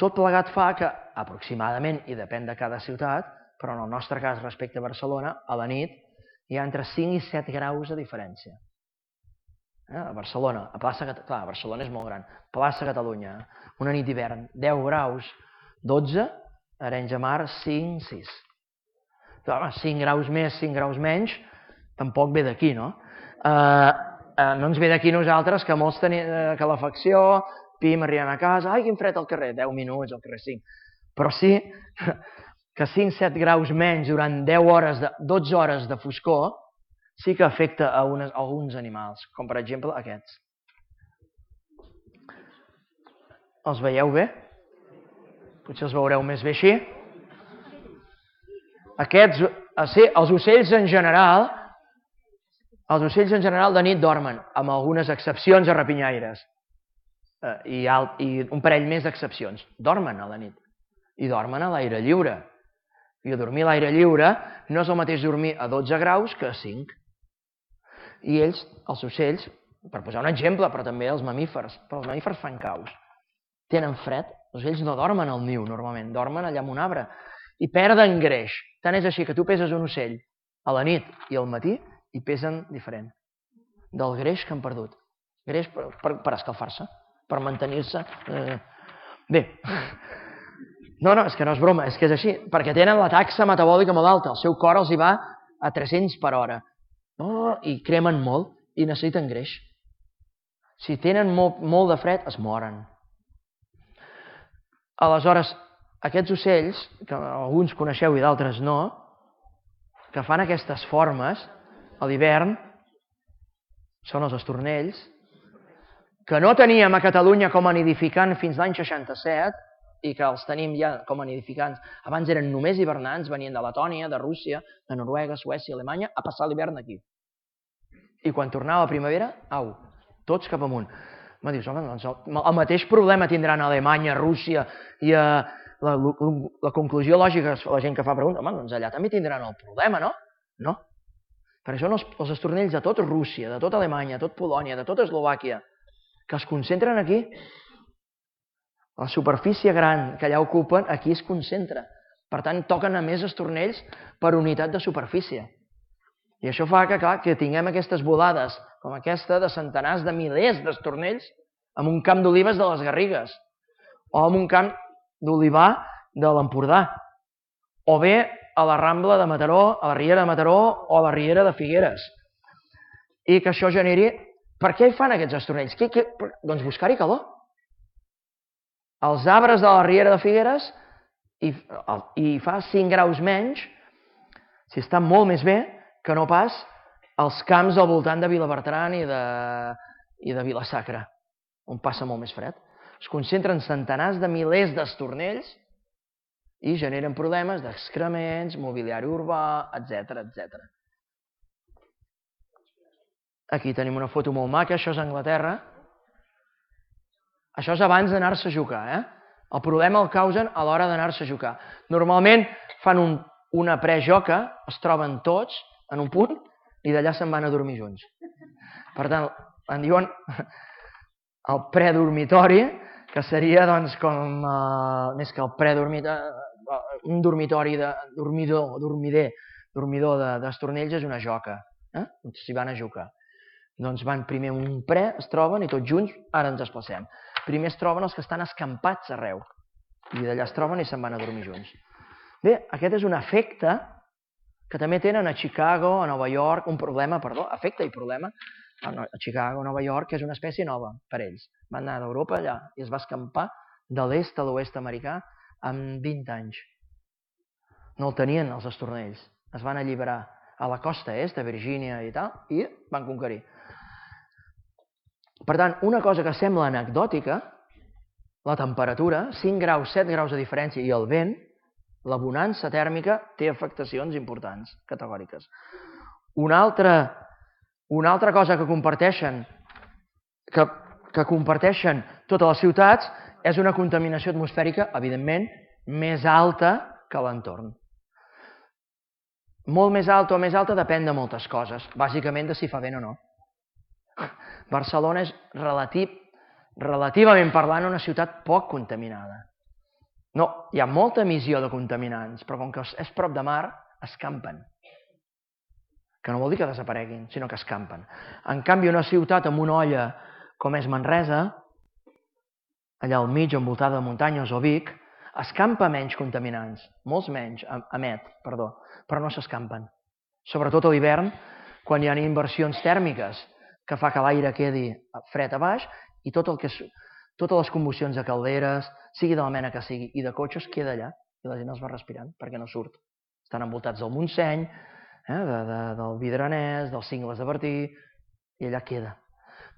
Tot plegat fa que, aproximadament, i depèn de cada ciutat, però en el nostre cas respecte a Barcelona, a la nit hi ha entre cinc i set graus de diferència. A Barcelona, a plaça Catalunya, clar, Barcelona és molt gran, plaça Catalunya, una nit d'hivern, deu graus, dotze, Arenys de Mar, cinc, sis. cinc graus més, cinc graus menys, tampoc ve d'aquí, no? No ens ve d'aquí nosaltres, que molts tenim calefacció, pim, arribem a casa, ai, quin fred al carrer, deu minuts al carrer, cinc. Però sí que cinc set graus menys durant deu hores, dotze hores de foscor, sí que afecta a alguns animals, com per exemple aquests. Els veieu bé? Potser els veureu més bé així. Aquests, els ocells en general, els ocells en general de nit dormen, amb algunes excepcions a rapinyaires. I un parell més d'excepcions. Dormen a la nit. I dormen a l'aire lliure. I dormir a l'aire lliure no és el mateix dormir a dotze graus que a cinc. I ells, els ocells, per posar un exemple, però també els mamífers, però els mamífers fan caus. Tenen fred, els ocells no dormen al niu normalment, dormen allà en un arbre i perden greix. Tant és així que tu peses un ocell a la nit i al matí i pesen diferent del greix que han perdut. Greix per, per, per escalfar-se, per mantenir-se... Eh... Bé, no, no, és que no és broma, és que és així, perquè tenen la taxa metabòlica molt alta, el seu cor els hi va a tres-cents per hora, oh, i cremen molt i necessiten greix. Si tenen molt, molt de fred, es moren. Aleshores, aquests ocells, que alguns coneixeu i d'altres no, que fan aquestes formes a l'hivern, són els estornells, que no teníem a Catalunya com a nidificant fins l'any seixanta-set, i que els tenim ja com a nidificants. Abans eren només hivernants, venien de Letònia, de Rússia, de Noruega, Suècia, Alemanya, a passar l'hivern aquí. I quan tornava la primavera, au, tots cap amunt. Me dius, home, doncs el mateix problema tindran a Alemanya, a Rússia, i a la, la conclusió lògica, la gent que fa pregunta, home, doncs allà també tindran el problema, no? No. Perquè són els, els estornells de tot Rússia, de tot Alemanya, de tot Polònia, de tot Eslovàquia, que es concentren aquí. La superfície gran que allà ocupen, aquí es concentra. Per tant, toquen a més estornells per unitat de superfície. I això fa que, clar, que tinguem aquestes volades, com aquesta, de centenars de milers d'estornells en un camp d'olives de les Garrigues, o en un camp d'olivar de l'Empordà, o bé a la Rambla de Mataró, a la Riera de Mataró o a la Riera de Figueres. I que això generi... Per què hi fan aquests estornells? Què, què... Doncs buscar-hi calor. als arbres de la Riera de Figueres i, i fa cinc graus menys, si està molt més bé que no pas als camps al voltant de Vilabertran i de, i de Vila-sacra, on passa molt més fred. Es concentren centenars de milers d'estornells i generen problemes d'excrements, mobiliari urbà, etcètera, etcètera. Aquí tenim una foto molt maca, això és Anglaterra. Això és abans d'anar-se a jugar, eh? El problema el causen a l'hora d'anar-se a jugar. Normalment fan un, una prejoca, es troben tots en un punt i d'allà se'n van a dormir junts. Per tant, en diuen el predormitori, que seria doncs com, uh, més que el predormitori, un dormitori de dormidor, dormider, dormidor d'estornells és una joca, eh? S'hi van a jugar. Doncs van primer un pre, es troben i tots junts, ara ens desplacem. Primer es troben els que estan escampats arreu i d'allà es troben i se'n van a dormir junts. Bé, aquest és un efecte que també tenen a Chicago, a Nova York, un problema, perdó, efecte i problema, a Chicago, a Nova York, que és una espècie nova per ells. Van anar d'Europa allà i es va escampar de l'est a l'oest americà en vint anys. No el tenien els estornells, es van alliberar a la costa est, a Virgínia i tal, i van conquerir. Per tant, una cosa que sembla anecdòtica, la temperatura, cinc graus, set graus de diferència i el vent, la bonança tèrmica té afectacions importants, categòriques. Una altra, una altra cosa que comparteixen, que, que comparteixen totes les ciutats és una contaminació atmosfèrica, evidentment, més alta que l'entorn. Molt més alta o més alta depèn de moltes coses, bàsicament de si fa vent o no. Barcelona és relativ, relativament parlant una ciutat poc contaminada. No, hi ha molta emissió de contaminants, però com que és prop de mar, escampen. Que no vol dir que desapareguin, sinó que escampen. En canvi, una ciutat amb una olla com és Manresa, allà al mig, envoltada de muntanyes, o Vic, escampa menys contaminants, molts menys, emet, perdó, però no s'escampen. Sobretot a l'hivern, quan hi ha inversions tèrmiques, que fa que l'aire quedi fred a baix i tot el que, totes les combustions de calderes, sigui de la mena que sigui, i de cotxes, queda allà i la gent els va respirant perquè no surt. Estan envoltats del Montseny, eh, de, de, del Vidranès, dels Cingles de Bertí, i allà queda.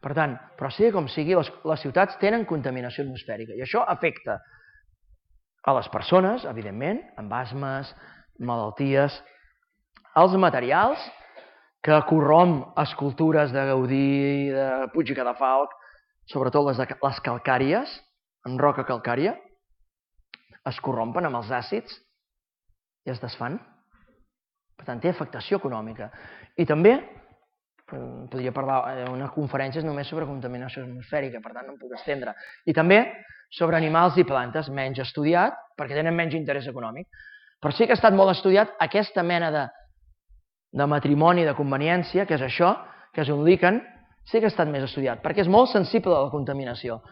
Per tant, però sigui com sigui, les, les ciutats tenen contaminació atmosfèrica i això afecta a les persones, evidentment, amb asmes, malalties, els materials, que corromp escultures de Gaudí, de Puig i Cadafalch, sobretot les, les calcàries, en roca calcària, es corrompen amb els àcids i es desfan. Per tant, té afectació econòmica. I també, podria parlar, una conferència és només sobre contaminació atmosfèrica, per tant no em puc estendre. I també sobre animals i plantes, menys estudiat, perquè tenen menys interès econòmic. Però sí que ha estat molt estudiat aquesta mena de de matrimoni de conveniència, que és això, que és un líquen, sí que ha estat més estudiat, perquè és molt sensible a la contaminació.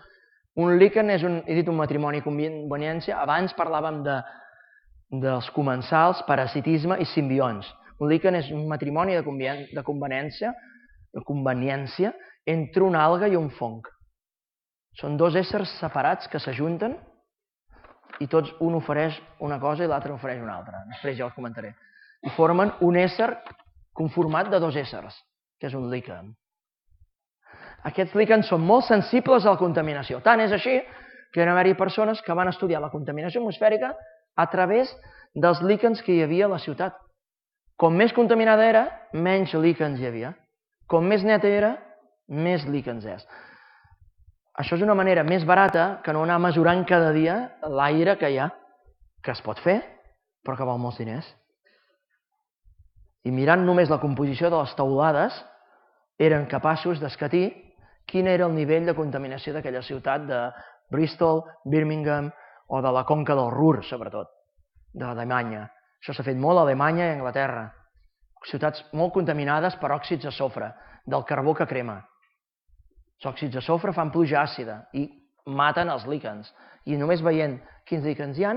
Un líquen és, un, he dit un matrimoni de conveniència, abans parlàvem de, dels comensals, parasitisme i simbionts. Un líquen és un matrimoni de, de conveniència, de conveniència entre una alga i un fong. Són dos éssers separats que s'ajunten i tots un ofereix una cosa i l'altre ofereix una altra. Després ja els comentaré. I formen un ésser conformat de dos éssers, que és un líquen. Aquests líquens són molt sensibles a la contaminació. Tant és així que hi va haver persones que van estudiar la contaminació atmosfèrica a través dels líquens que hi havia a la ciutat. Com més contaminada era, menys líquens hi havia. Com més neta era, més líquens és. Això és una manera més barata que no anar mesurant cada dia l'aire que hi ha, que es pot fer, però que val molts diners. I mirant només la composició de les teulades, eren capaços d'escatir quin era el nivell de contaminació d'aquella ciutat de Bristol, Birmingham o de la conca del Ruhr, sobretot, d'Alemanya. Això s'ha fet molt a Alemanya i a Anglaterra. Ciutats molt contaminades per òxids de sofre, del carbó que crema. Els òxids de sofre fan pluja àcida i maten els líquens. I només veient quins líquens hi ha,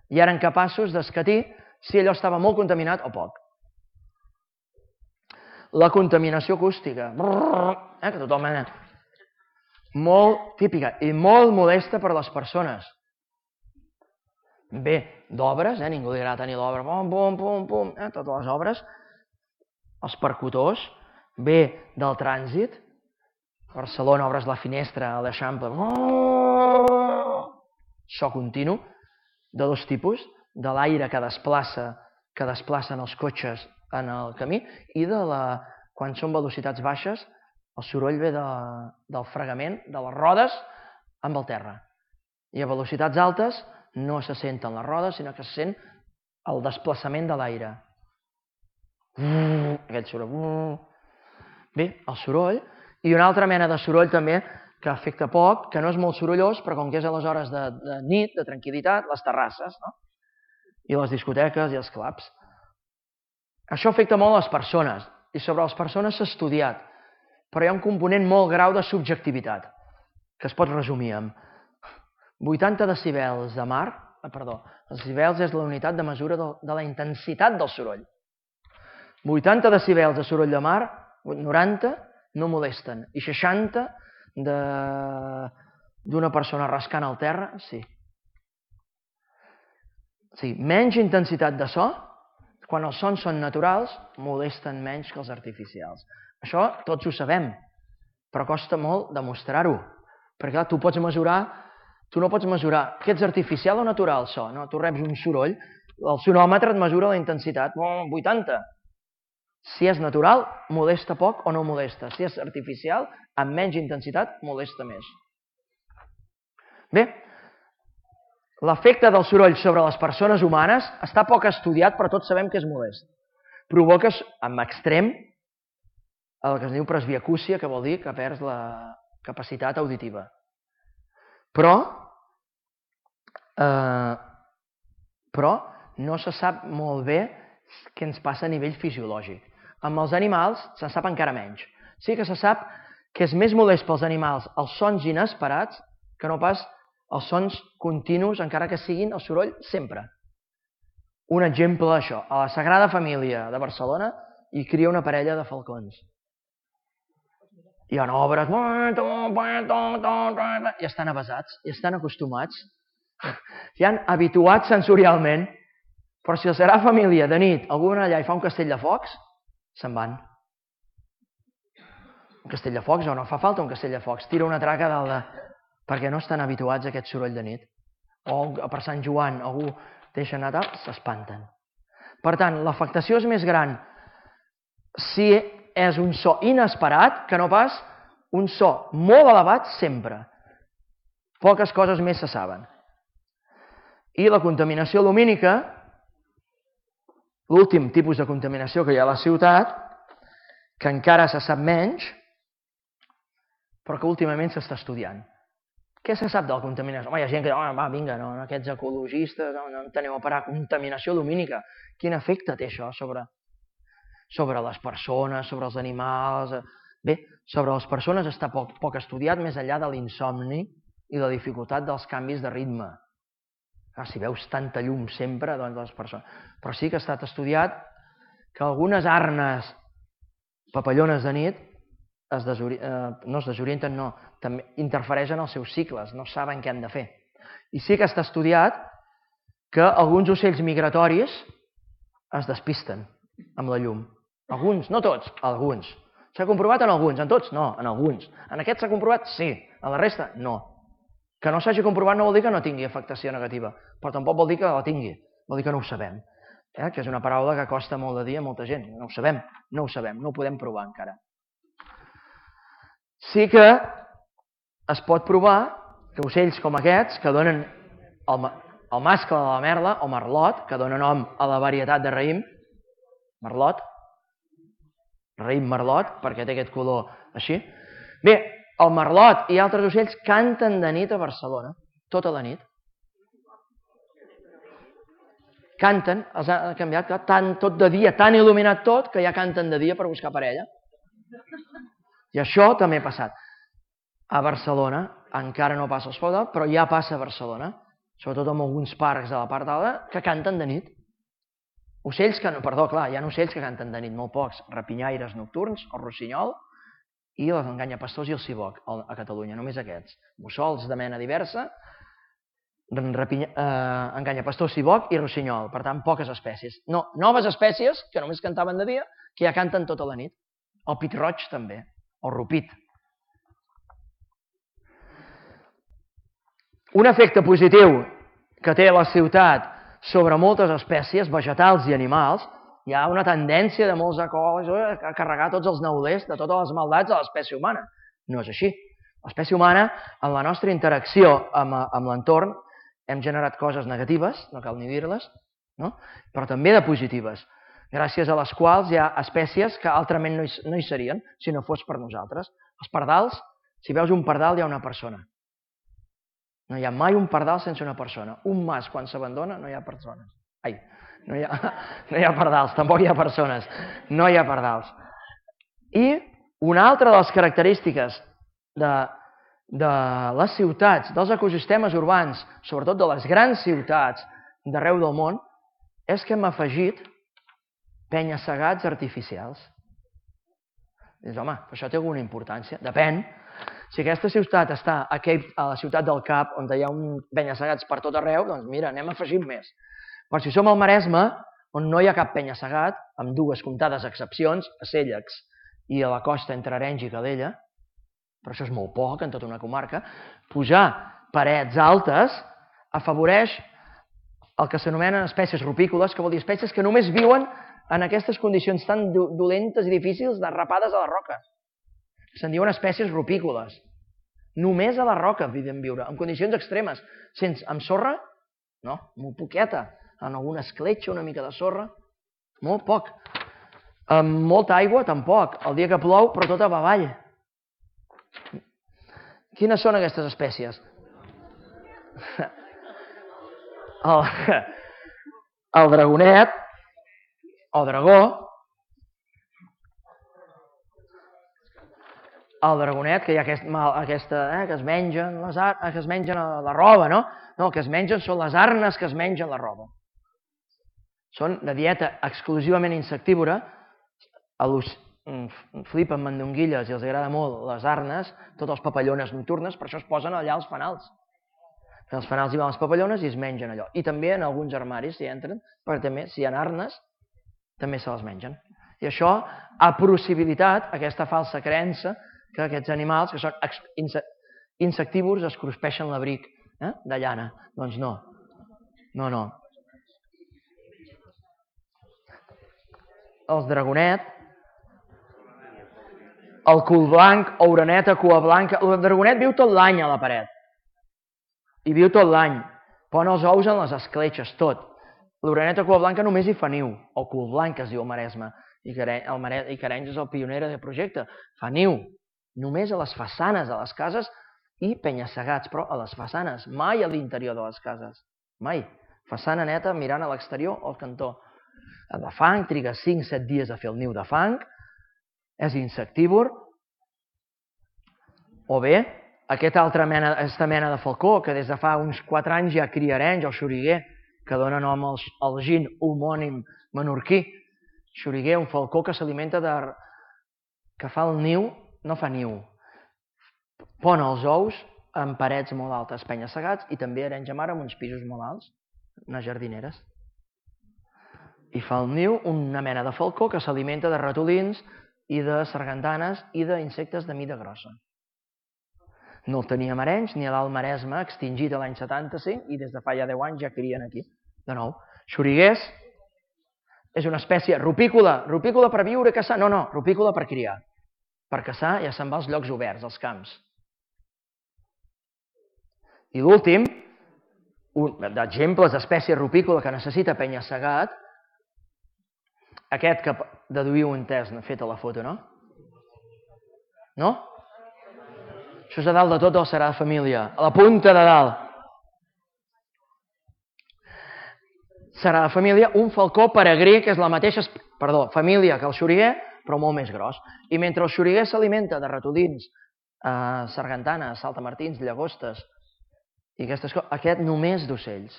ja eren capaços d'escatir si allò estava molt contaminat o poc. La contaminació acústica, eh, que tothom... Molt típica i molt molesta per a les persones. Ve d'obres, eh? Ningú li agrada tenir l'obra, pum, pum, pum, pum, eh? Totes les obres, els percutors, ve del trànsit, a Barcelona obres la finestra a l'Eixample, so continu, de dos tipus, de l'aire que desplaça, que desplacen els cotxes en el camí, i de la, quan són velocitats baixes, el soroll ve de, del fregament de les rodes amb el terra. I a velocitats altes no se senten les rodes, sinó que se sent el desplaçament de l'aire. Aquell soroll. Bé, el soroll. I una altra mena de soroll també que afecta poc, que no és molt sorollós, però com que és a les hores de, de nit, de tranquil·litat, les terrasses, no? I les discoteques i els clubs. Això afecta molt les persones, i sobre les persones s'ha estudiat, però hi ha un component molt grau de subjectivitat, que es pot resumir amb vuitanta decibels de mar, ah, perdó, els decibels és la unitat de mesura de, de la intensitat del soroll. vuitanta decibels de soroll de mar, noranta no molesten, i seixanta d'una persona rascant al terra, sí. Sí, menys intensitat de so, quan els sons són naturals, molesten menys que els artificials. Això tots ho sabem, però costa molt demostrar-ho. Perquè clar, tu pots mesurar, tu no pots mesurar que ets artificial o natural, so, no? Tu reps un soroll, el sonòmetre et mesura la intensitat, vuitanta. Si és natural, molesta poc o no molesta. Si és artificial, amb menys intensitat, molesta més. Bé, l'efecte del soroll sobre les persones humanes està poc estudiat, però tots sabem que és molest. Provoca, en extrem, el que es diu presbiacúsia, que vol dir que perds la capacitat auditiva. Però, eh, però no se sap molt bé què ens passa a nivell fisiològic. Amb els animals se sap encara menys. Sí que se sap que és més molest pels animals els sons inesperats que no pas els sons continus, encara que siguin el soroll sempre. Un exemple d'això, a la Sagrada Família de Barcelona hi cria una parella de falcons. Hi ha obres, i estan avesats, i estan acostumats, i han habituats sensorialment, però si la Sagrada Família de nit algú va allà i fa un castell de focs, se'n van. Un castell de focs, o no fa falta un castell de focs, tira una traca dalt de... perquè no estan habituats a aquest soroll de nit. O per Sant Joan algú deixa anar tal, s'espanten. Per tant, l'afectació és més gran si és un so inesperat que no pas un so molt elevat sempre. Poques coses més se saben. I la contaminació lumínica, l'últim tipus de contaminació que hi ha a la ciutat, que encara se sap menys, però que últimament s'està estudiant. Què se sap de la contaminació? Home, hi ha gent que diu, va, vinga, no, aquests ecologistes, no, no en teniu a parar, contaminació lumínica. Quin efecte té això sobre, sobre les persones, sobre els animals? Bé, sobre les persones està poc, poc estudiat, més enllà de l'insomni i la dificultat dels canvis de ritme. Clar, si veus tanta llum sempre, doncs les persones... Però sí que ha estat estudiat que algunes arnes papallones de nit es desori... eh, no es desorienten, no, també interfereixen els seus cicles, no saben què han de fer. I sí que està estudiat que alguns ocells migratoris es despisten amb la llum. Alguns, no tots, alguns. S'ha comprovat en alguns, en tots? No, en alguns. En aquests s'ha comprovat? Sí. En la resta? No. Que no s'hagi comprovat no vol dir que no tingui afectació negativa, però tampoc vol dir que la tingui, vol dir que no ho sabem. Eh? Que és una paraula que costa molt de dir a molta gent. No ho sabem, no ho sabem, no ho podem provar encara. Sí que es pot provar que ocells com aquests, que donen el, el mascle de la merla, o merlot, que dona nom a la varietat de raïm, merlot, raïm merlot, perquè té aquest color així. Bé, el merlot i altres ocells canten de nit a Barcelona, tota la nit. Canten, els ha canviat, tant, tot de dia, tan il·luminat tot, que ja canten de dia per buscar parella. I això també ha passat. A Barcelona, encara no passa als pobles, però ja passa a Barcelona, sobretot en alguns parcs de la part alta, que canten de nit. Ocells que, no, perdó, clar, hi ha ocells que canten de nit, molt pocs, rapinyaires nocturns, el rossinyol, i els enganyapastors i el ciboc a Catalunya, només aquests. Mussols de mena diversa, enganyapastor, siboc i rossinyol. Per tant, poques espècies. No, noves espècies que només cantaven de dia, que ja canten tota la nit. El pit-roig també, el rupit. Un efecte positiu que té la ciutat sobre moltes espècies, vegetals i animals, hi ha una tendència de molts ecòlegs a carregar tots els neulers de totes les maldats a l'espècie humana. No és així. L'espècie humana, en la nostra interacció amb l'entorn, hem generat coses negatives, no cal ni dir-les, però també de positives, gràcies a les quals hi ha espècies que altrament no hi serien si no fos per nosaltres. Els pardals, si veus un pardal hi ha una persona. No hi ha mai un pardal sense una persona. Un mas, quan s'abandona, no hi ha persones. Ai, no hi ha, no hi ha pardals, tampoc hi ha persones. No hi ha pardals. I una altra de les característiques de, de les ciutats, dels ecosistemes urbans, sobretot de les grans ciutats d'arreu del món, és que hem afegit penya-segats artificials. Dius, home, això té alguna importància? Depèn. Si aquesta ciutat està a la ciutat del Cap, on hi ha un penya-segats per tot arreu, doncs mira, anem afegint més. Però si som al Maresme, on no hi ha cap penya-segat, amb dues comptades excepcions, a Cèllex i a la costa entre Arenys i Calella, però això és molt poc en tota una comarca, posar parets altes afavoreix el que s'anomenen espècies rupícoles, que vol dir espècies que només viuen en aquestes condicions tan dolentes i difícils derrapades a la roca. Se'n diuen espècies rupícoles. Només a la roca poden viure, en condicions extremes. Sense, amb sorra? No, molt poqueta. En alguna escletxa, una mica de sorra? Molt poc. Amb molta aigua, tampoc. El dia que plou, però tot a avall. Quines són aquestes espècies? El, el dragonet, o dragó, el dragonet, que hi ha aquesta, que es mengen que es mengen la roba, no? No, el que es mengen són les arnes que es mengen la roba. Són de dieta exclusivament insectívora, flipen mandonguilles i els agrada molt les arnes, totes les papallones nocturnes, per això es posen allà als fanals. En els fanals hi van les papallones i es mengen allò. I també en alguns armaris s'hi entren, perquè també, si hi ha arnes, també se les mengen. I això ha possibilitat aquesta falsa creença que aquests animals, que són insectívors, es cruspeixen l'abric de llana. Doncs no. No, no. El dragonet, el cul blanc, oreneta, cua blanca... El dragonet viu tot l'any a la paret. I viu tot l'any. Pon els ous en les escletxes, tot. L'oreneta cua blanca només hi fa niu, o cul blanc, es diu al Maresme. I Carenys és el pioner del projecte. Fa niu. Només a les façanes de les cases i penya-segats, però a les façanes, mai a l'interior de les cases. Mai. Façana neta mirant a l'exterior o al cantó. El de fang triga cinc set dies a fer el niu de fang, és insectívor, o bé aquesta altra mena, aquesta mena de falcó que des de fa uns quatre anys ja cria arenys, el xoriguer, que dona nom al gin homònim menorquí. Xoriguer, un falcó que s'alimenta de... que fa el niu, no fa niu, pon els ous en parets molt altes, penya-segats, i també arenys a mar amb uns pisos molt alts, unes jardineres. I fa el niu una mena de falcó que s'alimenta de ratolins i de sargantanes i d'insectes de mida grossa. No el teníem a Arenys ni a l'Alt Maresme, extingit l'any setanta-cinc, i des de fa ja deu anys ja crien aquí. De nou, xoriguers és una espècie rupícola, rupícola per viure, caçar, no, no, rupícola per criar. Per caçar ja se'n va als llocs oberts, als camps. I l'últim, d'exemples d'espècie rupícola que necessita penya-segat, aquest que deduïu un test fet a la foto, no? No? Això és a dalt de tot el Sagrada Família, a la punta de dalt. Sagrada Família, un falcó peregrí, que és la mateixa família que el xoriguer, però molt més gros. I mentre el xoriguer s'alimenta de ratolins, sargantanes, saltamartins, llagostes, i aquestes coses, aquest només d'ocells,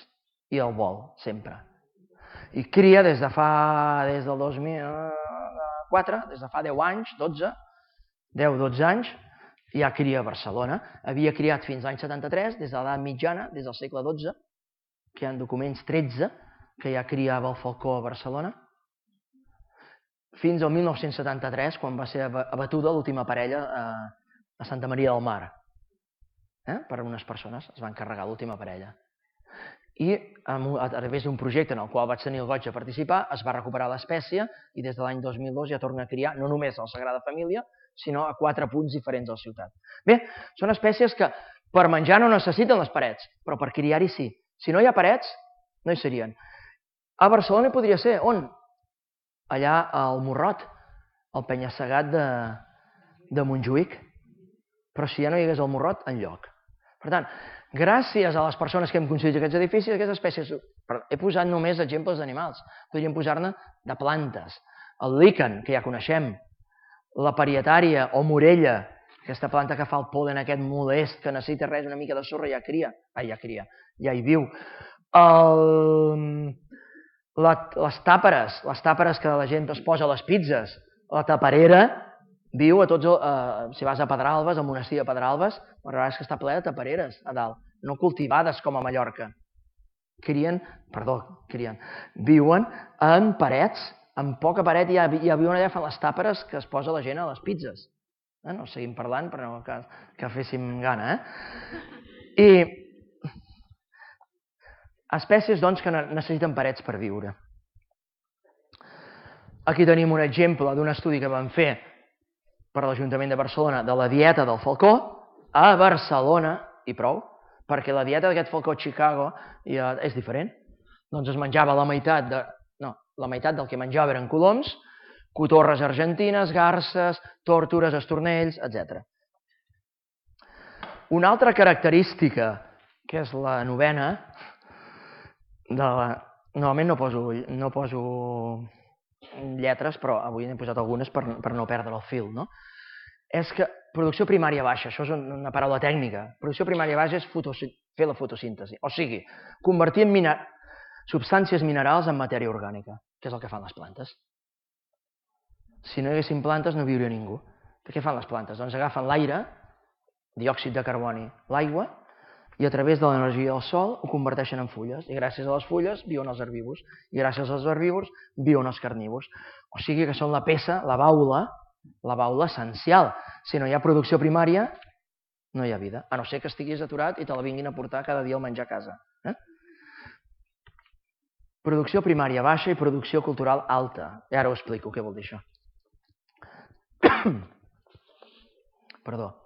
i el vol, sempre. I cria des de fa, des del dos mil quatre, des de fa deu anys, dotze, deu dotze anys, hi ha cria a Barcelona. Havia criat fins l'any setanta-tres, des de l'edat mitjana, des del segle dotze, que hi ha documents tretze, que ja criava el falcó a Barcelona, fins al mil nou-cents setanta-tres, quan va ser abatuda l'última parella a Santa Maria del Mar. Per unes persones es van carregar l'última parella. I a través d'un projecte en el qual vaig tenir el goig de participar, es va recuperar l'espècie i des de l'any dos mil dos ja torna a criar no només a la Sagrada Família, sinó a quatre punts diferents de la ciutat. Bé, són espècies que per menjar no necessiten les parets, però per criar-hi sí. Si no hi ha parets, no hi serien. A Barcelona hi podria ser. On? Allà al Morrot, al penya-segat de Montjuïc. Però si ja no hi hagués el Morrot, enlloc. Per tant, gràcies a les persones que hem construït aquests edificis, aquestes espècies... He posat només exemples d'animals. Podríem posar-ne de plantes. El líquen, que ja coneixem. La parietària o morella, aquesta planta que fa el pol·len aquest molest, que necessita res, una mica de sorra, ja cria. Ah, ja cria, ja hi viu. Les tàperes, les tàperes que la gent es posa a les pizzas. La taperera viu a tots... Si vas a Pedralbes, al monestir de Pedralbes, la veritat és que està ple de tapereres a dalt, no cultivades com a Mallorca. Crien, perdó, crien, viuen en parets, en poca paret, ja viuen allà, fan les tàperes que es posa la gent a les pizzas. No seguim parlant, però que féssim gana, eh? I espècies, doncs, que necessiten parets per viure. Aquí tenim un exemple d'un estudi que vam fer per l'Ajuntament de Barcelona de la dieta del falcó a Barcelona, i prou, perquè la dieta d'aquest falcó a Chicago és diferent. Doncs es menjava la meitat de... No, la meitat del que menjava eren coloms, cotorres argentines, garses, tórtores, estornells, etcètera. Una altra característica, que és la novena, normalment no poso lletres, però avui n'he posat algunes per no perdre el fil, no? És que producció primària baixa, això és una paraula tècnica, producció primària baixa és fer la fotosíntesi, o sigui, convertir substàncies minerals en matèria orgànica, que és el que fan les plantes. Si no hi haguessin plantes no viuria ningú. Què fan les plantes? Doncs agafen l'aire, diòxid de carboni, l'aigua, i a través de l'energia del sol ho converteixen en fulles, i gràcies a les fulles viuen els herbívors, i gràcies als herbívors viuen els carnívors. O sigui que són la peça, la baula, la baula essencial. Si no hi ha producció primària, no hi ha vida, a no ser que estiguis aturat i te la vinguin a portar cada dia al menjar a casa. Producció primària baixa i producció cultural alta. I ara ho explico, què vol dir això. Perdó.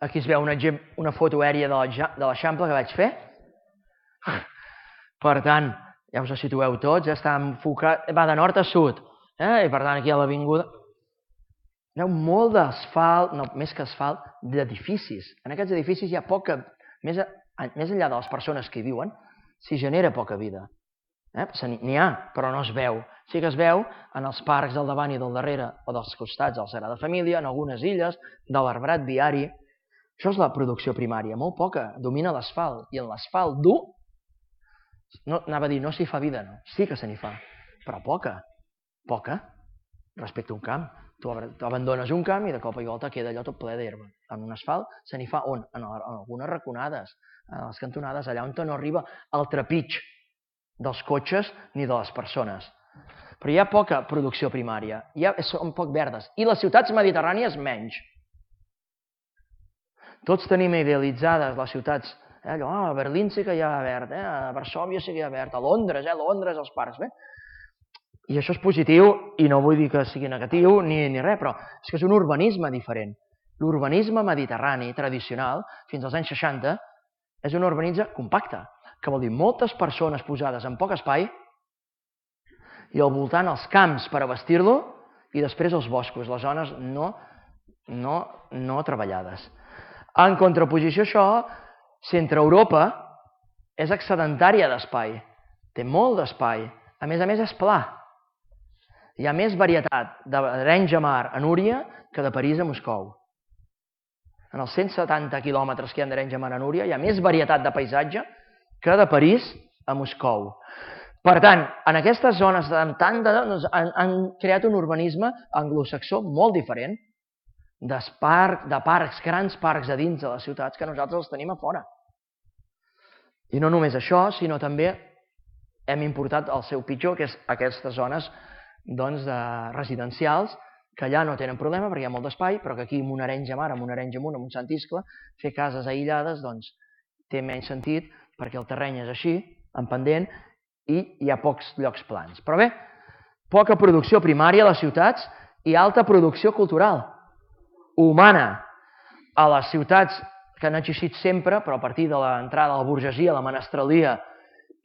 Aquí es veu una foto aèria de l'Eixample que vaig fer. Per tant, ja us ho situeu tots, està enfocat, va de nord a sud, i per tant aquí a l'avinguda hi ha molt d'asfalt, no, més que asfalt, d'edificis. En aquests edificis hi ha poca, més enllà de les persones que hi viuen, s'hi genera poca vida. N'hi ha, però no es veu. Sí que es veu en els parcs del davant i del darrere, o dels costats de la Sagrada Família, en algunes illes, de l'arbrat viari. Això és la producció primària, molt poca, domina l'asfalt, i en l'asfalt dur, anava a dir, no s'hi fa vida, no, sí que se n'hi fa, però poca, poca, respecte a un camp. Tu abandones un camp i de cop i volta queda allò tot ple d'herba. En un asfalt se n'hi fa on? En algunes raconades, a les cantonades, allà on no arriba el trepig dels cotxes ni de les persones. Però hi ha poca producció primària, són poc verdes, i les ciutats mediterrànies menys. Tots tenim idealitzades les ciutats, a Berlín sí que hi ha verd, a Varsòvia sí que hi ha verd, a Londres, a Londres els parcs, bé. I això és positiu, i no vull dir que sigui negatiu ni res, però és que és un urbanisme diferent. L'urbanisme mediterrani tradicional, fins als anys seixanta, és un urbanisme compacte, que vol dir moltes persones posades en poc espai i al voltant els camps per abastir-lo i després els boscos, les zones no treballades. En contraposició a això, Centre Europa és excedentària d'espai, té molt d'espai, a més a més és pla. Hi ha més varietat d'Arenys de Mar a Núria que de París a Moscou. En els cent setanta quilòmetres que hi ha d'Arenys de Mar a Núria hi ha més varietat de paisatge que de París a Moscou. Per tant, en aquestes zones han creat un urbanisme anglosaxó molt diferent. de parcs, grans parcs a dins de les ciutats, que nosaltres els tenim a fora. I no només això, sinó també hem importat el seu pitjor, que és aquestes zones residencials, que allà no tenen problema perquè hi ha molt d'espai, però que aquí amb una Arenys de Mar, amb una Arenys Amunt, amb un Sant Iscle, fer cases aïllades té menys sentit perquè el terreny és així, en pendent, i hi ha pocs llocs plans. Però bé, poca producció primària a les ciutats i alta producció cultural, humana. A les ciutats que han existit sempre, però a partir de l'entrada de la burgesia, la menestralia,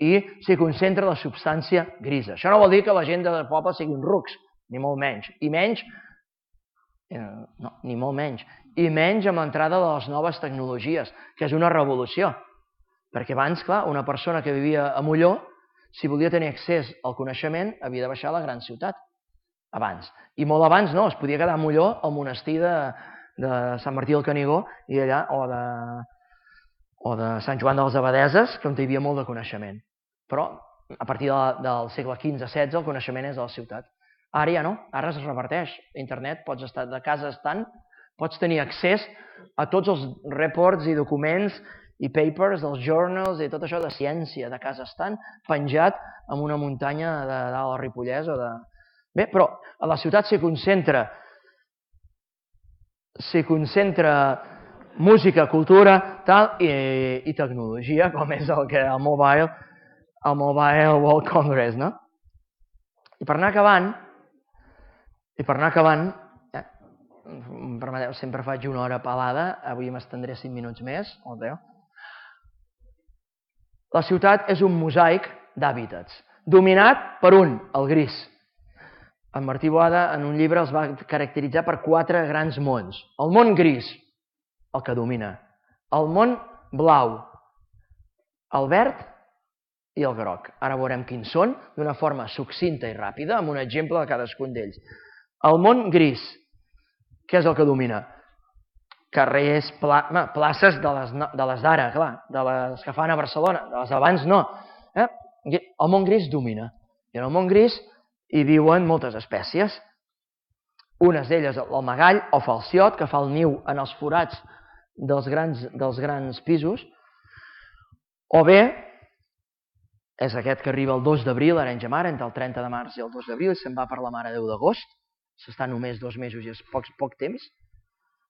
i s'hi concentra la substància grisa. Això no vol dir que la gent del poble siguin rucs, ni molt menys. I menys, no, ni molt menys, i menys amb l'entrada de les noves tecnologies, que és una revolució. Perquè abans, clar, una persona que vivia a Molló, si volia tenir accés al coneixement, havia de baixar a la gran ciutat. Abans. I molt abans no, es podia quedar a Molló, al monestir de Sant Martí del Canigó, i allà, o de Sant Joan de les Abadeses, on hi havia molt de coneixement. Però, a partir del segle quinze setze, el coneixement és de la ciutat. Ara ja no, ara es reverteix. A internet pots estar de casa estant, pots tenir accés a tots els reports i documents i papers dels journals i tot això de ciència de casa estant, penjat en una muntanya de dalt al Ripollès o de... Bé, però a la ciutat s'hi concentra s'hi concentra música, cultura i tecnologia, com és el Mobile el Mobile World Congress, no? I per anar acabant, i per anar acabant, permeteu, sempre faig una hora pelada, avui m'estendré cinc minuts més, o deu. La ciutat és un mosaic d'hàbitats, dominat per un, el gris. En Martí Boada, en un llibre, els va caracteritzar per quatre grans mons. El món gris, el que domina. El món blau, el verd i el groc. Ara veurem quins són, d'una forma succinta i ràpida, amb un exemple de cadascun d'ells. El món gris, què és el que domina? Carrers, places de les d'ara, clar, de les que fan a Barcelona, de les d'abans no. El món gris domina. I en el món gris hi viuen moltes espècies. Unes d'elles, el magall o falciot, que fa el niu en els forats dels grans pisos, o bé, és aquest que arriba el dos d'abril a Arenys de Mar, entre el trenta de març i el dos d'abril, i se'n va per la Mare de Déu d'agost, s'està només dos mesos i és poc temps,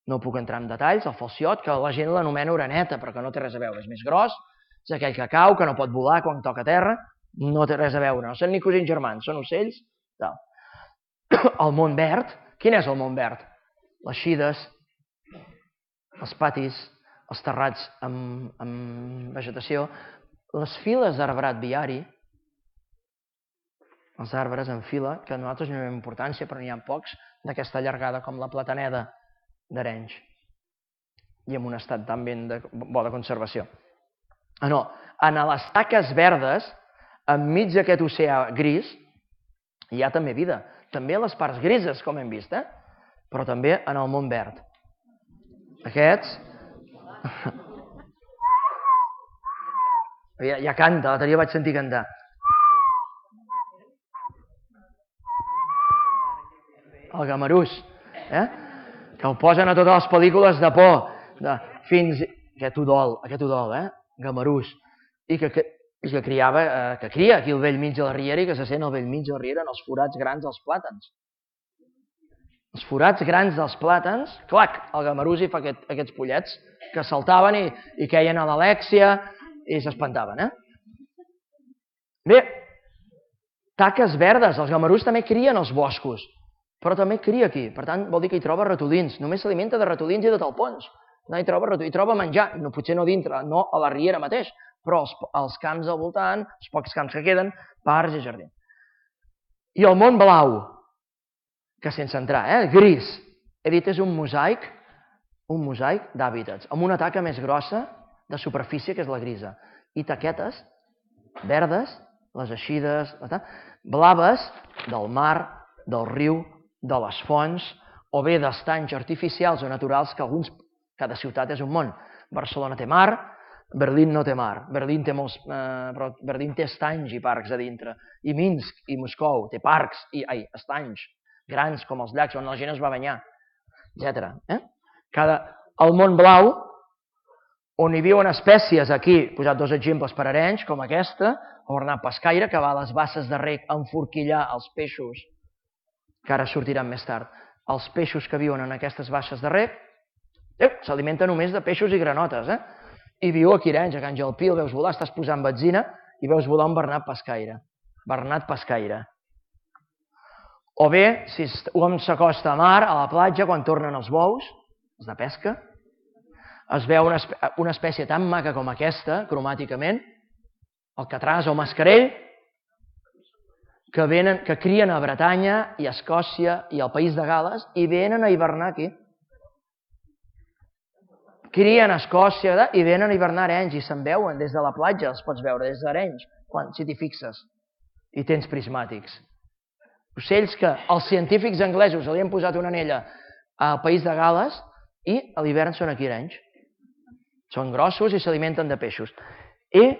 no puc entrar en detalls, el falciot, que la gent l'anomena oreneta, però que no té res a veure, és més gros, és aquell que cau, que no pot volar quan toca terra, no té res a veure, no són ni cosins germans, són ocells. El món verd, quin és el món verd? Les xides, els patis, els terrats amb vegetació, les files d'arbrat viari, els arbres en fila, que a nosaltres no hi ha importància, però n'hi ha pocs, d'aquesta llargada com la plataneda d'Arenys, i en un estat tan ben bo de conservació. No, en les taques verdes, enmig d'aquest oceà gris, hi ha també vida. També a les parts grises, com hem vist, però també en el món verd. Aquests... Ja canta, l'altre dia vaig sentir cantar. El gamarús, que el posen a totes les pel·lícules de por, fins... Aquest udol, aquest udol, eh? Gamarús. I que que criava, que cria aquí al vell mig de la riera i que se sent al vell mig de la riera en els forats grans dels plàtans. Els forats grans dels plàtans, clac, el gamarús hi fa aquests pollets que saltaven i queien a l'Alèxia i s'espantaven, eh? Bé, taques verdes, els gamarús també crien als boscos, però també cria aquí, per tant vol dir que hi troba ratolins, només s'alimenta de ratolins i de talpons, hi troba menjar, potser no dintre, no a la riera mateix, però als camps al voltant, els pocs camps que queden, parcs i jardins. I el món blau, que sense entrar, eh, gris, he dit és un mosaic, un mosaic d'hàbitats, amb una taca més grossa de superfície, que és la grisa, i taquetes verdes, les eixides, blaves del mar, del riu, de les fonts, o bé d'estanys artificials o naturals, que alguns, cada ciutat és un món. Barcelona té mar, Berlín no té mar, Berlín té molts, però Berlín té estanys i parcs a dintre, i Minsk i Moscou té parcs i estanys grans com els llacs on la gent es va banyar. etcètera. El món blau, on hi viuen espècies, aquí he posat dos exemples per Arenys, com aquesta, el bernat pescaire, que va a les basses de rec a enforquillar els peixos, que ara sortiran més tard, els peixos que viuen en aquestes basses de rec, s'alimenta només de peixos i granotes, eh? I viu aquí a Arenys, a Can Jalpí, el veus volar, estàs posant benzina i veus volar un bernat pescaire. Bernat pescaire. O bé, si un s'acosta a mar, a la platja, quan tornen els bous, els de pesca, es veu una espècie tan maca com aquesta, cromàticament, el catràs o mascarell, que, venen, que crien a Bretanya i a Escòcia i al País de Gales i venen a hivernar aquí. Crien a Escòcia i venen a hivernar a Arenys i se'n veuen des de la platja, els pots veure des d'Arenys, si t'hi fixes, i tens prismàtics. Ocells que els científics anglesos li han posat una anella al País de Gales i a l'hivern són aquí a Arenys. Són grossos i s'alimenten de peixos. I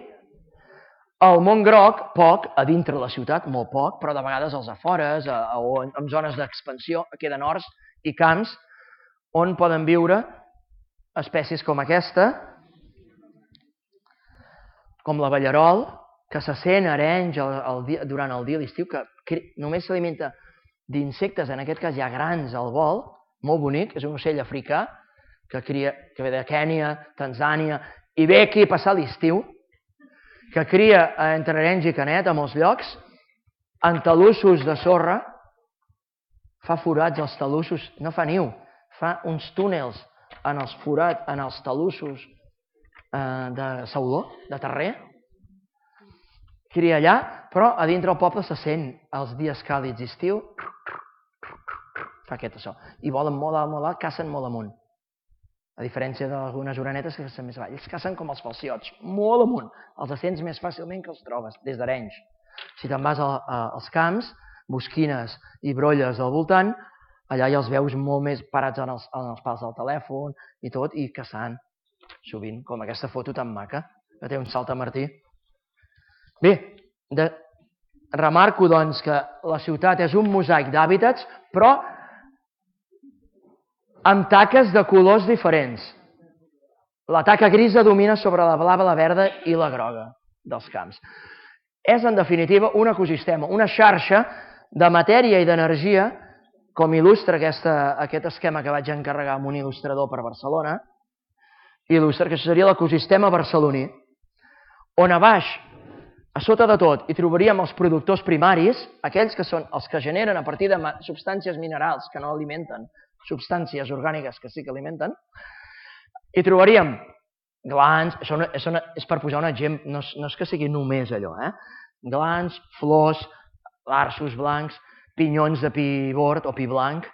el món groc, poc, a dintre la ciutat, molt poc, però de vegades als afores o en zones d'expansió, queden horts i camps on poden viure espècies com aquesta, com la ballarol, que se sent a Arenys durant el dia a l'estiu, que només s'alimenta d'insectes, en aquest cas hi ha grans al vol, molt bonic, és un ocell africà, que ve de Kènia, Tanzània, i ve aquí a passar l'estiu, que cria entre Arenys i Canet, a molts llocs, en talussos de sorra, fa forats als talussos, no fa niu, fa uns túnels en els forats, en els talussos de sauló, de terrer, cria allà, però a dintre el poble se sent els dies càlids d'estiu, fa aquest so, i volen molt alt, molt alt, cacen molt amunt. A diferència d'algunes orenetes que cacen més avall. Ells cacen com els falciots, molt amunt. Els sents més fàcilment que els trobes, des d'Arenys. Si te'n vas als camps, bosquines i brolles al voltant, allà ja els veus molt més parats en els pals del telèfon i tot, i caçant, sovint, com aquesta foto tan maca, que té un saltamartí. Bé, remarco doncs que la ciutat és un mosaic d'hàbitats, però amb taques de colors diferents. La taca grisa domina sobre la blava, la verda i la groga dels camps. És, en definitiva, un ecosistema, una xarxa de matèria i d'energia, com il·lustra aquest esquema que vaig encarregar a un il·lustrador per Barcelona, il·lustra que això seria l'ecosistema barceloní, on a baix, a sota de tot, hi trobaríem els productors primaris, aquells que són els que generen a partir de substàncies minerals que no alimenten, substàncies orgàniques que sí que alimenten, i trobaríem glans, això és per posar un exemple, no és que sigui només allò, eh? Glans, flors, arços blancs, pinyons de pi bord o pi blanc,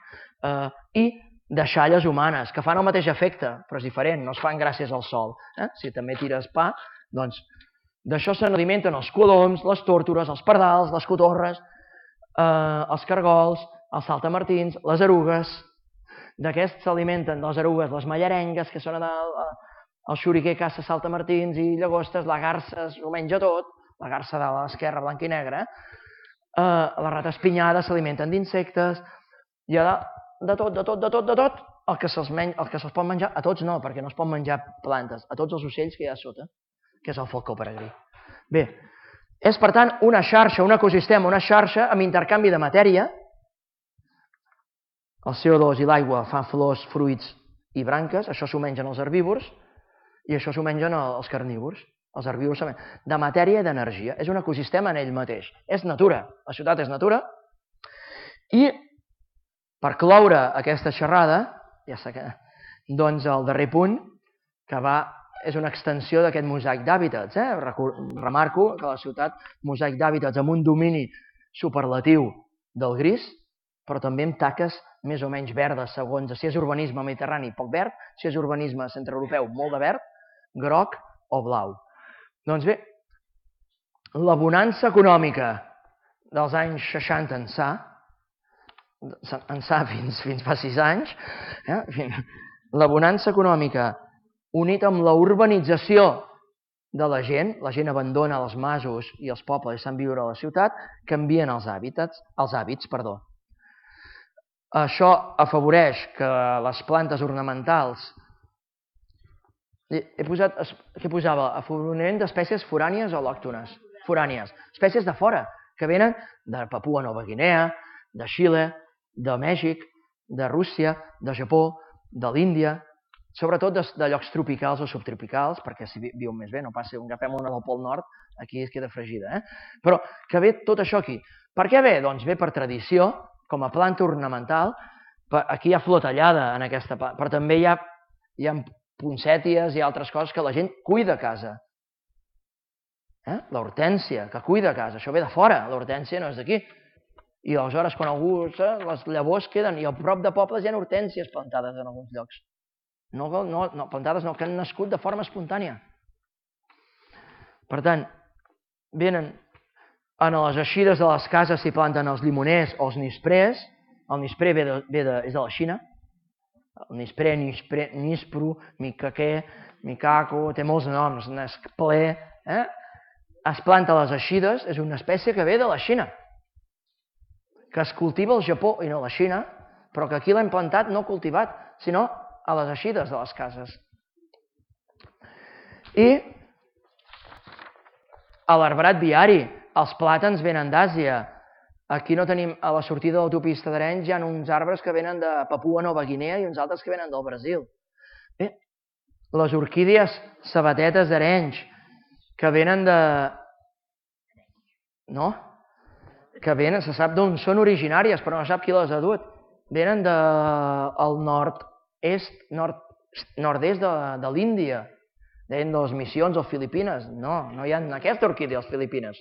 i deixalles humanes, que fan el mateix efecte, però és diferent, no es fan gràcies al sol. Si també tires pa, doncs d'això se n'alimenten els coloms, les tórtores, els pardals, les cotorres, els cargols, els saltamartins, les erugues. D'aquests s'alimenten les erugues, les mallarengues, que són el xoriquer, caça, saltamartins i llagostes, la garsa ho menja tot, la garsa de l'esquerra, blanca i negra, les rates pinyades s'alimenten d'insectes, hi ha de tot, de tot, de tot, de tot, el que se'ls pot menjar, a tots no, perquè no es pot menjar plantes, a tots els ocells que hi ha a sota, que és el falcó peregrí. Bé, és per tant una xarxa, un ecosistema, una xarxa amb intercanvi de matèria. El C O dos i l'aigua fan flors, fruits i branques, això s'ho mengen els herbívors i això s'ho mengen els carnívors. Els herbívors de matèria i d'energia. És un ecosistema en ell mateix. És natura. La ciutat és natura. I per cloure aquesta xerrada, ja sé que, doncs el darrer punt, que va, és una extensió d'aquest mosaic d'hàbitats. Remarco que la ciutat, mosaic d'hàbitats amb un domini superlatiu del gris, però també amb taques més o menys verdes, segons si és urbanisme mediterrani, poc verd, si és urbanisme centreeuropeu, molt de verd, groc o blau. Doncs bé, la bonança econòmica dels anys seixanta ençà, ençà fins fa sis anys, la bonança econòmica unit amb la urbanització de la gent, la gent abandona els masos i els pobles i se'n viure a la ciutat, canvien els hàbits, els hàbits, perdó. Això afavoreix que les plantes ornamentals... He posat, què posava? Afavoriment d'espècies forànies o lòctones? Forànies. Espècies de fora, que venen de Papua Nova Guinea, de Xile, de Mèxic, de Rússia, de Japó, de l'Índia, sobretot de, de llocs tropicals o subtropicals, perquè si viuen més bé, no passi, agafem una del Pol Nord, aquí es queda fregida. Eh? Però que ve tot això aquí. Per què ve? Doncs ve per tradició, com a planta ornamental, per, aquí hi ha flor tallada en aquesta planta, però també hi ha, hi ha poncèties i altres coses que la gent cuida a casa. Eh? L'hortènsia, que cuida a casa, això ve de fora, l'hortènsia no és d'aquí. I aleshores, quan algú, les llavors queden, i al prop de pobles hi ha hortències plantades en alguns llocs. No, no, no, plantades no, que han nascut de forma espontània. Per tant, venen en les eixides de les cases s'hi planten els limoners o els nisprers. El nispré ve de, ve de, és de la Xina. El nispré, nispré, nispru, micaqué, micaco, té molts noms, nesplé. Eh? Es planta a les eixides, és una espècie que ve de la Xina, que es cultiva al Japó i no a la Xina, però que aquí l'hem plantat no cultivat, sinó a les eixides de les cases. I a l'arbrat viari, els plàtans venen d'Àsia. Aquí no tenim, a la sortida de l'autopista d'Arenys hi ha uns arbres que venen de Papua Nova Guinea i uns altres que venen del Brasil. Bé, les orquídies sabatetes d'Arenys, que venen de... No? que venen, se sap d'on són originàries, però no sap qui les ha dut. Venen del nord-est, nord-est de, de l'Índia, deien de les missions o Filipines. No, no hi ha aquesta orquídea a les Filipines.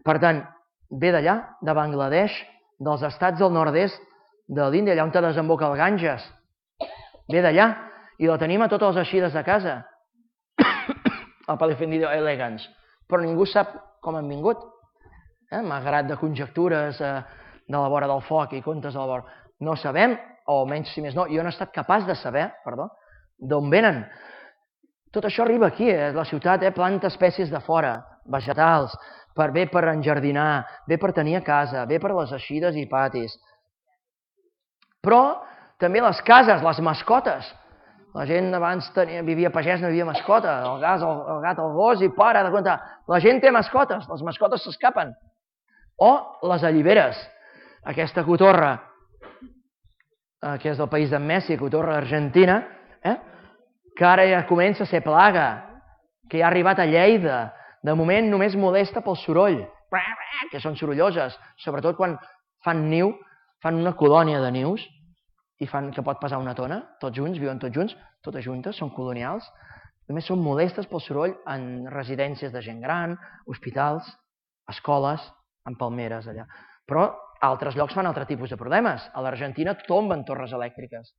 Per tant, ve d'allà, de Bangladesh, dels estats del nord-est de l'Índia, allà on te desemboca el Ganges. Ve d'allà, i la tenim a totes les eixides de casa. El Palifandidio elegans. Però ningú sap com han vingut. Eh, malgrat de conjectures eh, de la vora del foc i contes de la vora. No sabem, o almenys si més no, jo no he estat capaç de saber, perdó, d'on venen. Tot això arriba aquí, eh? La ciutat eh, planta espècies de fora, vegetals, per, bé per enjardinar, bé per tenir a casa, bé per les eixides i patis. Però també les cases, les mascotes. La gent abans tenia, vivia pagès, no vivia mascota, el gas, el, el gat, el gos, i para de comptar. La gent té mascotes, les mascotes s'escapen. O les alliberes, aquesta cotorra, eh, que és del país d'en Messi, cotorra argentina, eh, que ara ja comença a ser plaga, que ja ha arribat a Lleida. De moment només molesta pel soroll, que són sorolloses, sobretot quan fan niu, fan una colònia de nius, i fan que pot passar una tona, tots junts, viuen tots junts, totes juntes, són colonials. Només són molestes pel soroll en residències de gent gran, hospitals, escoles, en palmeres allà. Però altres llocs fan altre tipus de problemes. A l'Argentina tomben torres elèctriques,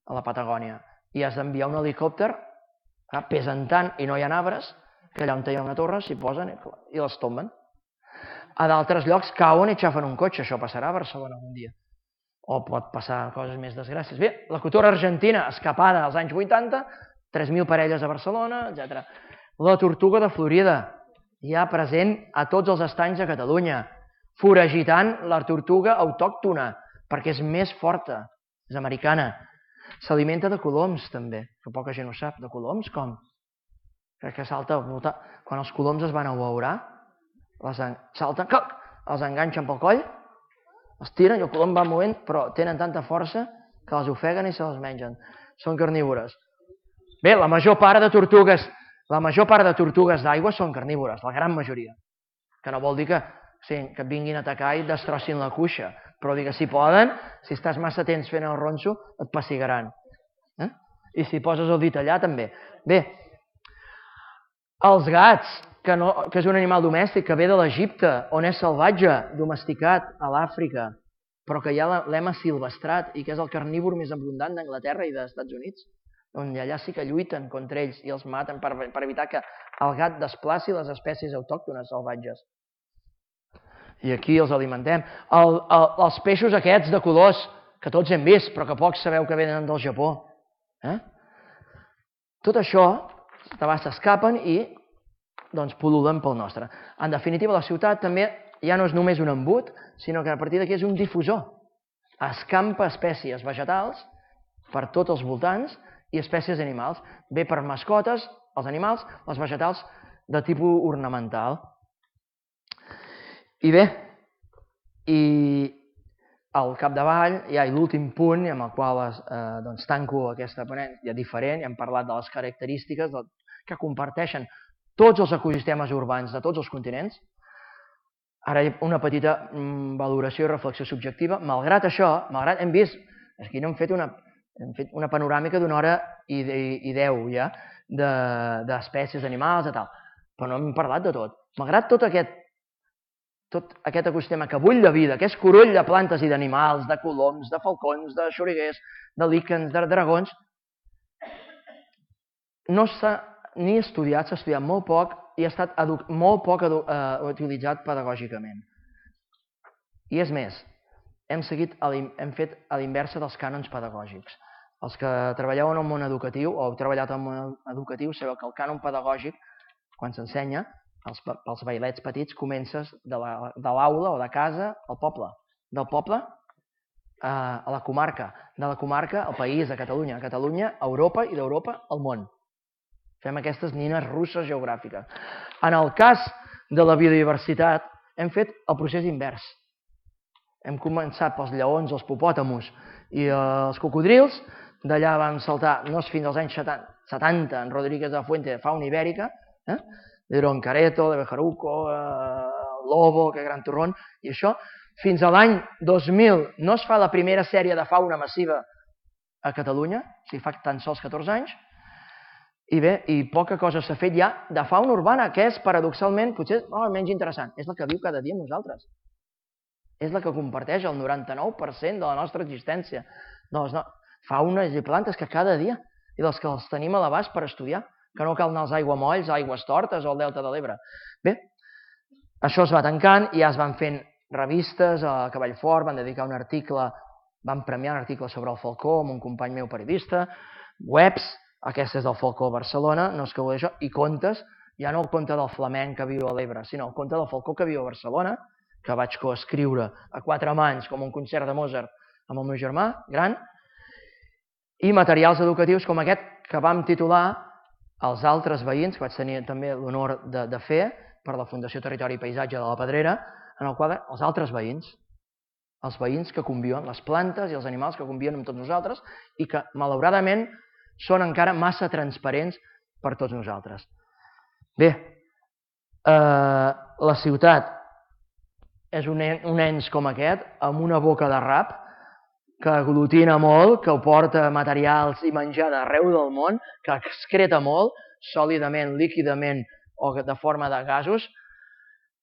a la Patagònia, i has d'enviar un helicòpter, pesen tant i no hi ha arbres, que allà on hi ha una torre s'hi posen i les tomben. A d'altres llocs cauen i xafen un cotxe, això passarà a Barcelona un dia. O pot passar coses més desgràcies. Bé, la cotorra argentina, escapada als anys vuitanta, tres mil parelles a Barcelona, etcètera. La tortuga de Florida, ja present a tots els estanys de Catalunya, foragitant la tortuga autòctona, perquè és més forta, és americana. S'alimenta de coloms, també, que poca gent ho sap. De coloms, com? Que salta al voltant. Quan els coloms es van abeurar, salten, els enganxen pel coll, els tiren i el colom va movent, però tenen tanta força que les ofeguen i se les mengen. Són carnívores. Bé, la major part de tortugues, la major part de tortugues d'aigua són carnívores, la gran majoria. Que no vol dir que, sí, que et vinguin a atacar i et destrossin la cuixa, però dir que si poden, si estàs massa temps fent el ronso, et pessigaran. Eh? I si poses el dit allà, també. Bé, els gats, que, no, que és un animal domèstic que ve de l'Egipte, on és salvatge, domesticat a l'Àfrica, però que ja l'hem asilvestrat i que és el carnívor més abundant d'Anglaterra i dels Estats Units, on allà sí que lluiten contra ells i els maten per, per evitar que el gat desplaci les espècies autòctones salvatges. I aquí els alimentem. El, el, els peixos aquests de colors, que tots hem vist, però que pocs sabeu que venen del Japó. Eh? Tot això s'escapen i doncs pol·lulen pel nostre. En definitiva, la ciutat també ja no és només un embut, sinó que a partir d'aquí és un difusor. escampa espècies vegetals per tots els voltants i espècies animals. Bé per mascotes, els animals, les vegetals de tipus ornamental. I bé, i al capdavall hi ha l'últim punt amb el qual eh, doncs, tanco aquesta ponència diferent. Ja hem parlat de les característiques del, que comparteixen tots els ecosistemes urbans de tots els continents. Ara una petita mm, valoració i reflexió subjectiva. Malgrat això, malgrat hem vist, aquí no hem fet una, hem fet una panoràmica d'una hora i, i, i deu ja, d'espècies de, animals i tal, però no hem parlat de tot. Malgrat tot aquest, tot aquest ecosistema que bull de vida, que és coroll de plantes i d'animals, de coloms, de falcons, de xoriguers, de líquens, de dragons, no s'ha ni estudiat, s'ha estudiat molt poc i ha estat molt poc eh, utilitzat pedagògicament. I és més, hem, seguit a hem fet a l'inversa dels cànons pedagògics. Els que treballeu en el món educatiu o heu treballat en el món educatiu sabeu que el cànon pedagògic, quan s'ensenya, pels, pels bailets petits, comences de l'aula o de casa al poble. Del poble eh, a la comarca, de la comarca al país, a Catalunya, a Catalunya, a Europa i d'Europa al món. Fem aquestes nines russes geogràfiques. En el cas de la biodiversitat, hem fet el procés invers. Hem començat pels lleons, els hipopòtamos i els cocodrils, d'allà vam saltar, no és fins als anys setanta, en Rodríguez de la Fuente, fauna ibèrica, eh? de Roncareto, de Bejaruco, eh, Lobo, que gran torrón, i això, fins a l'any dos mil no es fa la primera sèrie de fauna massiva a Catalunya, o sigui, fa tan sols catorze anys, i bé, i poca cosa s'ha fet ja de fauna urbana, que és, paradoxalment, potser oh, menys interessant, és la que viu cada dia amb nosaltres. És la que comparteix el noranta-nou per cent de la nostra existència. De les no... faunes i plantes que cada dia, i dels que els tenim a l'abast per estudiar, que no cal anar als aiguamolls, aigües tortes o al Delta de l'Ebre. Bé, això es va tancant i ja es van fent revistes, a Cavallfort van dedicar un article, van premiar un article sobre el falcó amb un company meu periodista, webs, aquesta és del falcó a Barcelona, no és que vull això, i contes, ja no el conte del flamenc que viu a l'Ebre, sinó el conte del falcó que viu a Barcelona, que vaig coescriure a quatre mans com un concert de Mozart amb el meu germà gran, i materials educatius com aquest que vam titular Els altres veïns, que vaig tenir també l'honor de, de fer per la Fundació Territori i Paisatge de la Pedrera, en el qual els altres veïns, els veïns que conviuen, les plantes i els animals que conviuen amb tots nosaltres i que, malauradament, són encara massa transparents per tots nosaltres. Bé, eh, la ciutat és un, en, un ens com aquest, amb una boca de rap, que aglutina molt, que porta materials i menjar d'arreu del món, que excreta molt, sòlidament, líquidament o de forma de gasos,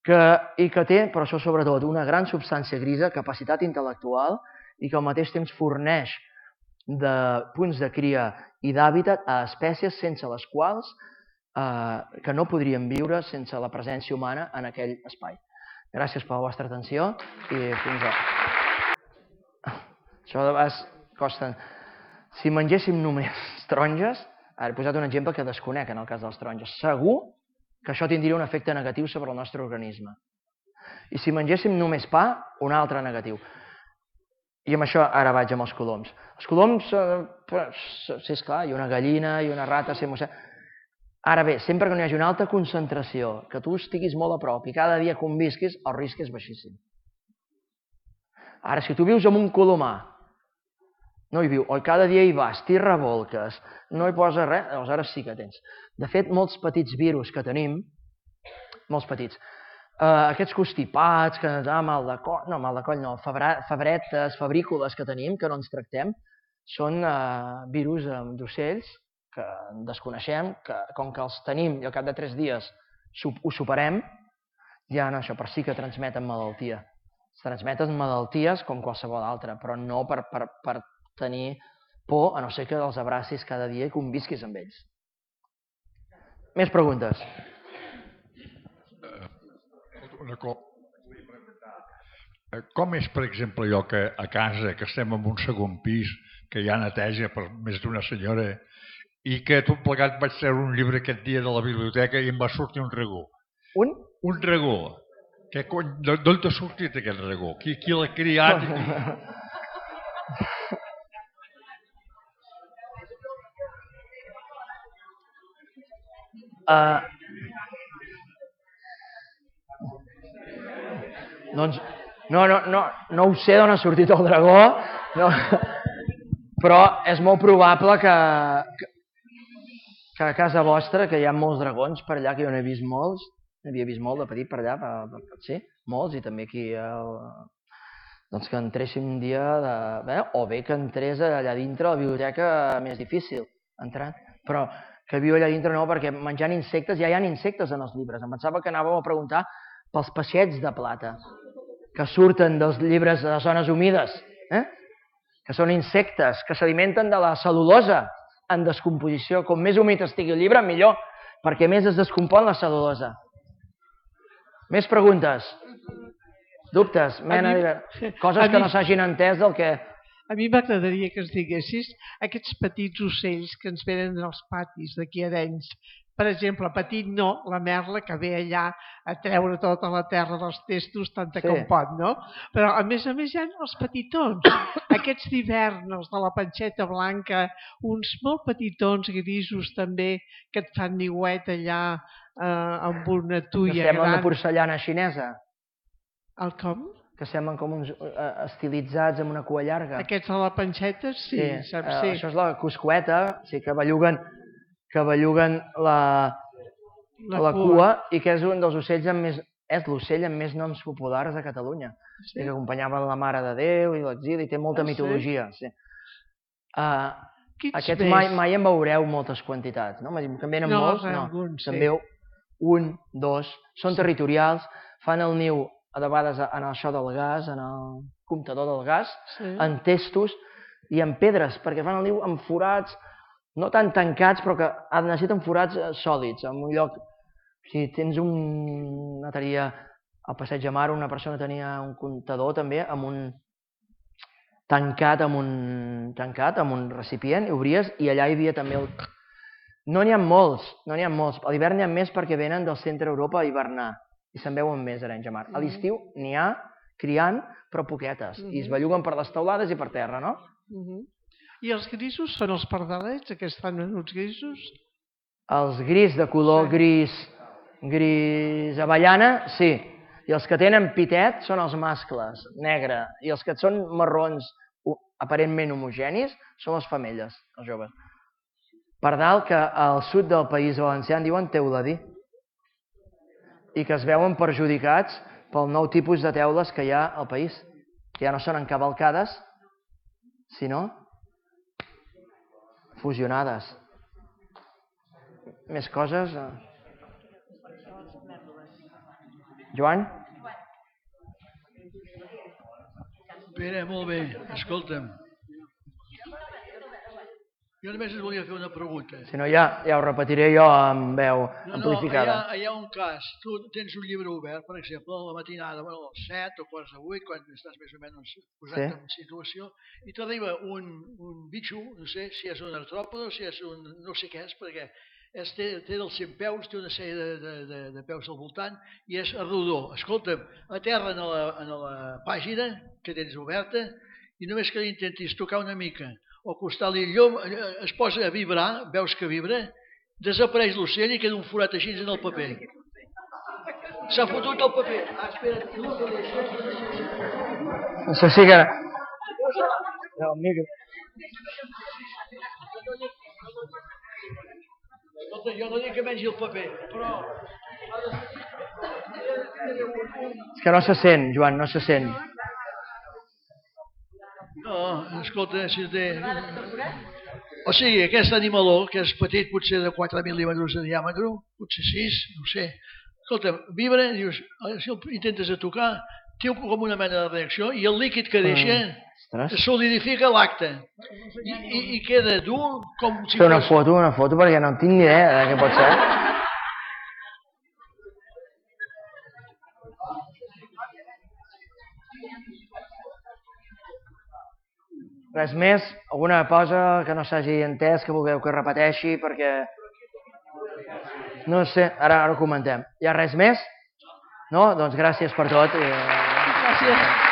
que, i que té, però això sobretot, una gran substància grisa, capacitat intel·lectual, i que al mateix temps forneix de punts de cria i d'hàbitat a espècies sense les quals eh, que no podrien viure sense la presència humana en aquell espai. Gràcies per la vostra atenció i fins a... Això de vegades costa... Si mengéssim només taronges, ara he posat un exemple que desconec en el cas de les taronges, segur que això tindria un efecte negatiu sobre el nostre organisme. I si mengéssim només pa, un altre negatiu. I amb això ara vaig amb els coloms. Els coloms, eh, sí, esclar, hi ha una gallina, hi ha una rata, sí, ara bé, sempre que no hi hagi una alta concentració, que tu estiguis molt a prop i cada dia convisquis, el risc és baixíssim. Ara, si tu vius en un colomar, no hi viu, o cada dia hi vas, t'hi revolques, no hi posa res, aleshores sí que tens. De fet, molts petits virus que tenim, molts petits, eh, aquests constipats, que ens ah, mal de coll, no, mal de coll no, febretes, febrícules que tenim, que no ens tractem, són eh, virus d'ocells que desconeixem, que com que els tenim i al cap de tres dies ho superem, ja no, això per sí que transmeten malaltia. Es transmeten malalties com qualsevol altra, però no per, per, per tenir por, a no ser que els abracis cada dia i convisquis amb ells. Més preguntes? Una cosa. Com és, per exemple, allò que a casa, que estem en un segon pis, que hi ha neteja per més d'una senyora, i que tot plegat vaig treure un llibre aquest dia de la biblioteca i em va sortir un regó. Un? Un regó. D'on t'ha sortit aquest regó? Qui, qui l'ha criat? Uh, doncs no, no, no, no ho sé d'on ha sortit el dragó, no, però és molt probable que, que, que a casa vostra, que hi ha molts dragons per allà, que jo n'he vist molts, n'havia vist molt de petit per allà, per, per, per, sí, molts, i també aquí, el, doncs que entréssim un dia, de, bé, o bé que entrés allà dintre a la biblioteca més difícil, entrar, però que viu allà dintre no, perquè menjant insectes, ja hi ha insectes en els llibres. Em pensava que anàvem a preguntar pels peixets de plata, que surten dels llibres de les zones humides, eh? Que són insectes que s'alimenten de la cel·lulosa en descomposició. Com més humit estigui el llibre, millor, perquè més es descompon la cel·lulosa. Més preguntes? Dubtes? Mena de... Coses que no s'hagin entès del que... A mi m'agradaria que ens diguessis aquests petits ocells que ens venen als patis d'aquí a Arenys. Per exemple, petit no, la merla que ve allà a treure tota la terra dels testos, tanta com pot, no? Però a més a més hi ha els petitons, aquests d'hivern, els de la panxeta blanca, uns molt petitons grisos també, que et fan niuet allà amb una tuia gran. Que semblen de porcellana xinesa. El com? Que semblen com uns estilitzats amb una cua llarga. Aquests de la panxeta, sí, saps? Sí. Això és la cuscueta, sí, que belluguen, que belluguen la, la, la cua, i que és un dels ocells amb més, és l'ocell amb més noms populars de Catalunya. Sí? I que acompanyaven la Mare de Déu i l'exili, i té molta ah, mitologia. Sí? Sí. Uh, aquests mai, mai en veureu moltes quantitats, no? Que en venen no, molts, no. Alguns, sí. En veu un, dos, són territorials, fan el niu a vegades en això del gas, en el comptador del gas, sí. En testos i en pedres, perquè fan el niu en forats, no tan tancats, però que necessiten forats sòlids, en un lloc... Si tens un... una tenia al Passeig de Mar, una persona tenia un comptador també, amb un... tancat amb un... tancat amb un recipient, i obries, i allà hi havia també el... No n'hi ha molts, no n'hi ha molts. A l'hivern n'hi ha més perquè venen del centre Europa a hivernar. I se'n veuen més a Arenys de Mar. A l'estiu n'hi ha criant, però poquetes. I es belluguen per les teulades i per terra, no? I els grisos són els pardalets, aquests fan menuts grisos? Els gris de color gris, gris avellana, sí. I els que tenen pitet són els mascles, negre. I els que són marrons, aparentment homogenis, són les femelles, els joves. Pardal que al sud del País Valencià en diuen teuladí, i que es veuen perjudicats pel nou tipus de teules que hi ha al país, que ja no són encavalcades, sinó fusionades. Més coses? Joan? Pere, molt bé. Escolta'm. Jo només et volia fer una pregunta. Si no, ja, ja ho repetiré jo amb veu amplificada. No, no, hi ha un cas. Tu tens un llibre obert, per exemple, a la matinada, a les set o quarts de vuit, quan estàs més o menys posat en situació, i t'arriba un bitxo, no sé si és un artròpode o si és un... no sé què és, perquè té dels cent peus, té una sèrie de peus al voltant i és rodó. Escolta'm, aterra en la pàgina que tens oberta i només que intentis tocar una mica o acostar-li el llum, es posa a vibrar, veus que vibra, desapareix l'ocell i queda un forat així en el paper. S'ha fotut el paper. Ah, espera't. Això sí que... El micro. Escolta, jo no dic que mengi el paper, però... És que no se sent, Joan, no se sent. No, escolta, si té... O sigui, aquest animaló, que és petit, potser de quatre mil·límetres de diàmetre, potser sis, no sé. Escolta, vibra, dius, si el intentes a tocar, té com una mena de reacció i el líquid que deixa solidifica l'acte. I queda dur com si fos... Fer una foto, una foto, perquè no tinc ni idea de què pot ser. Res més? Alguna cosa que no s'hagi entès, que vulgueu que repeteixi, perquè... No sé, ara ho comentem. Hi ha res més? No? Doncs gràcies per tot. Gràcies.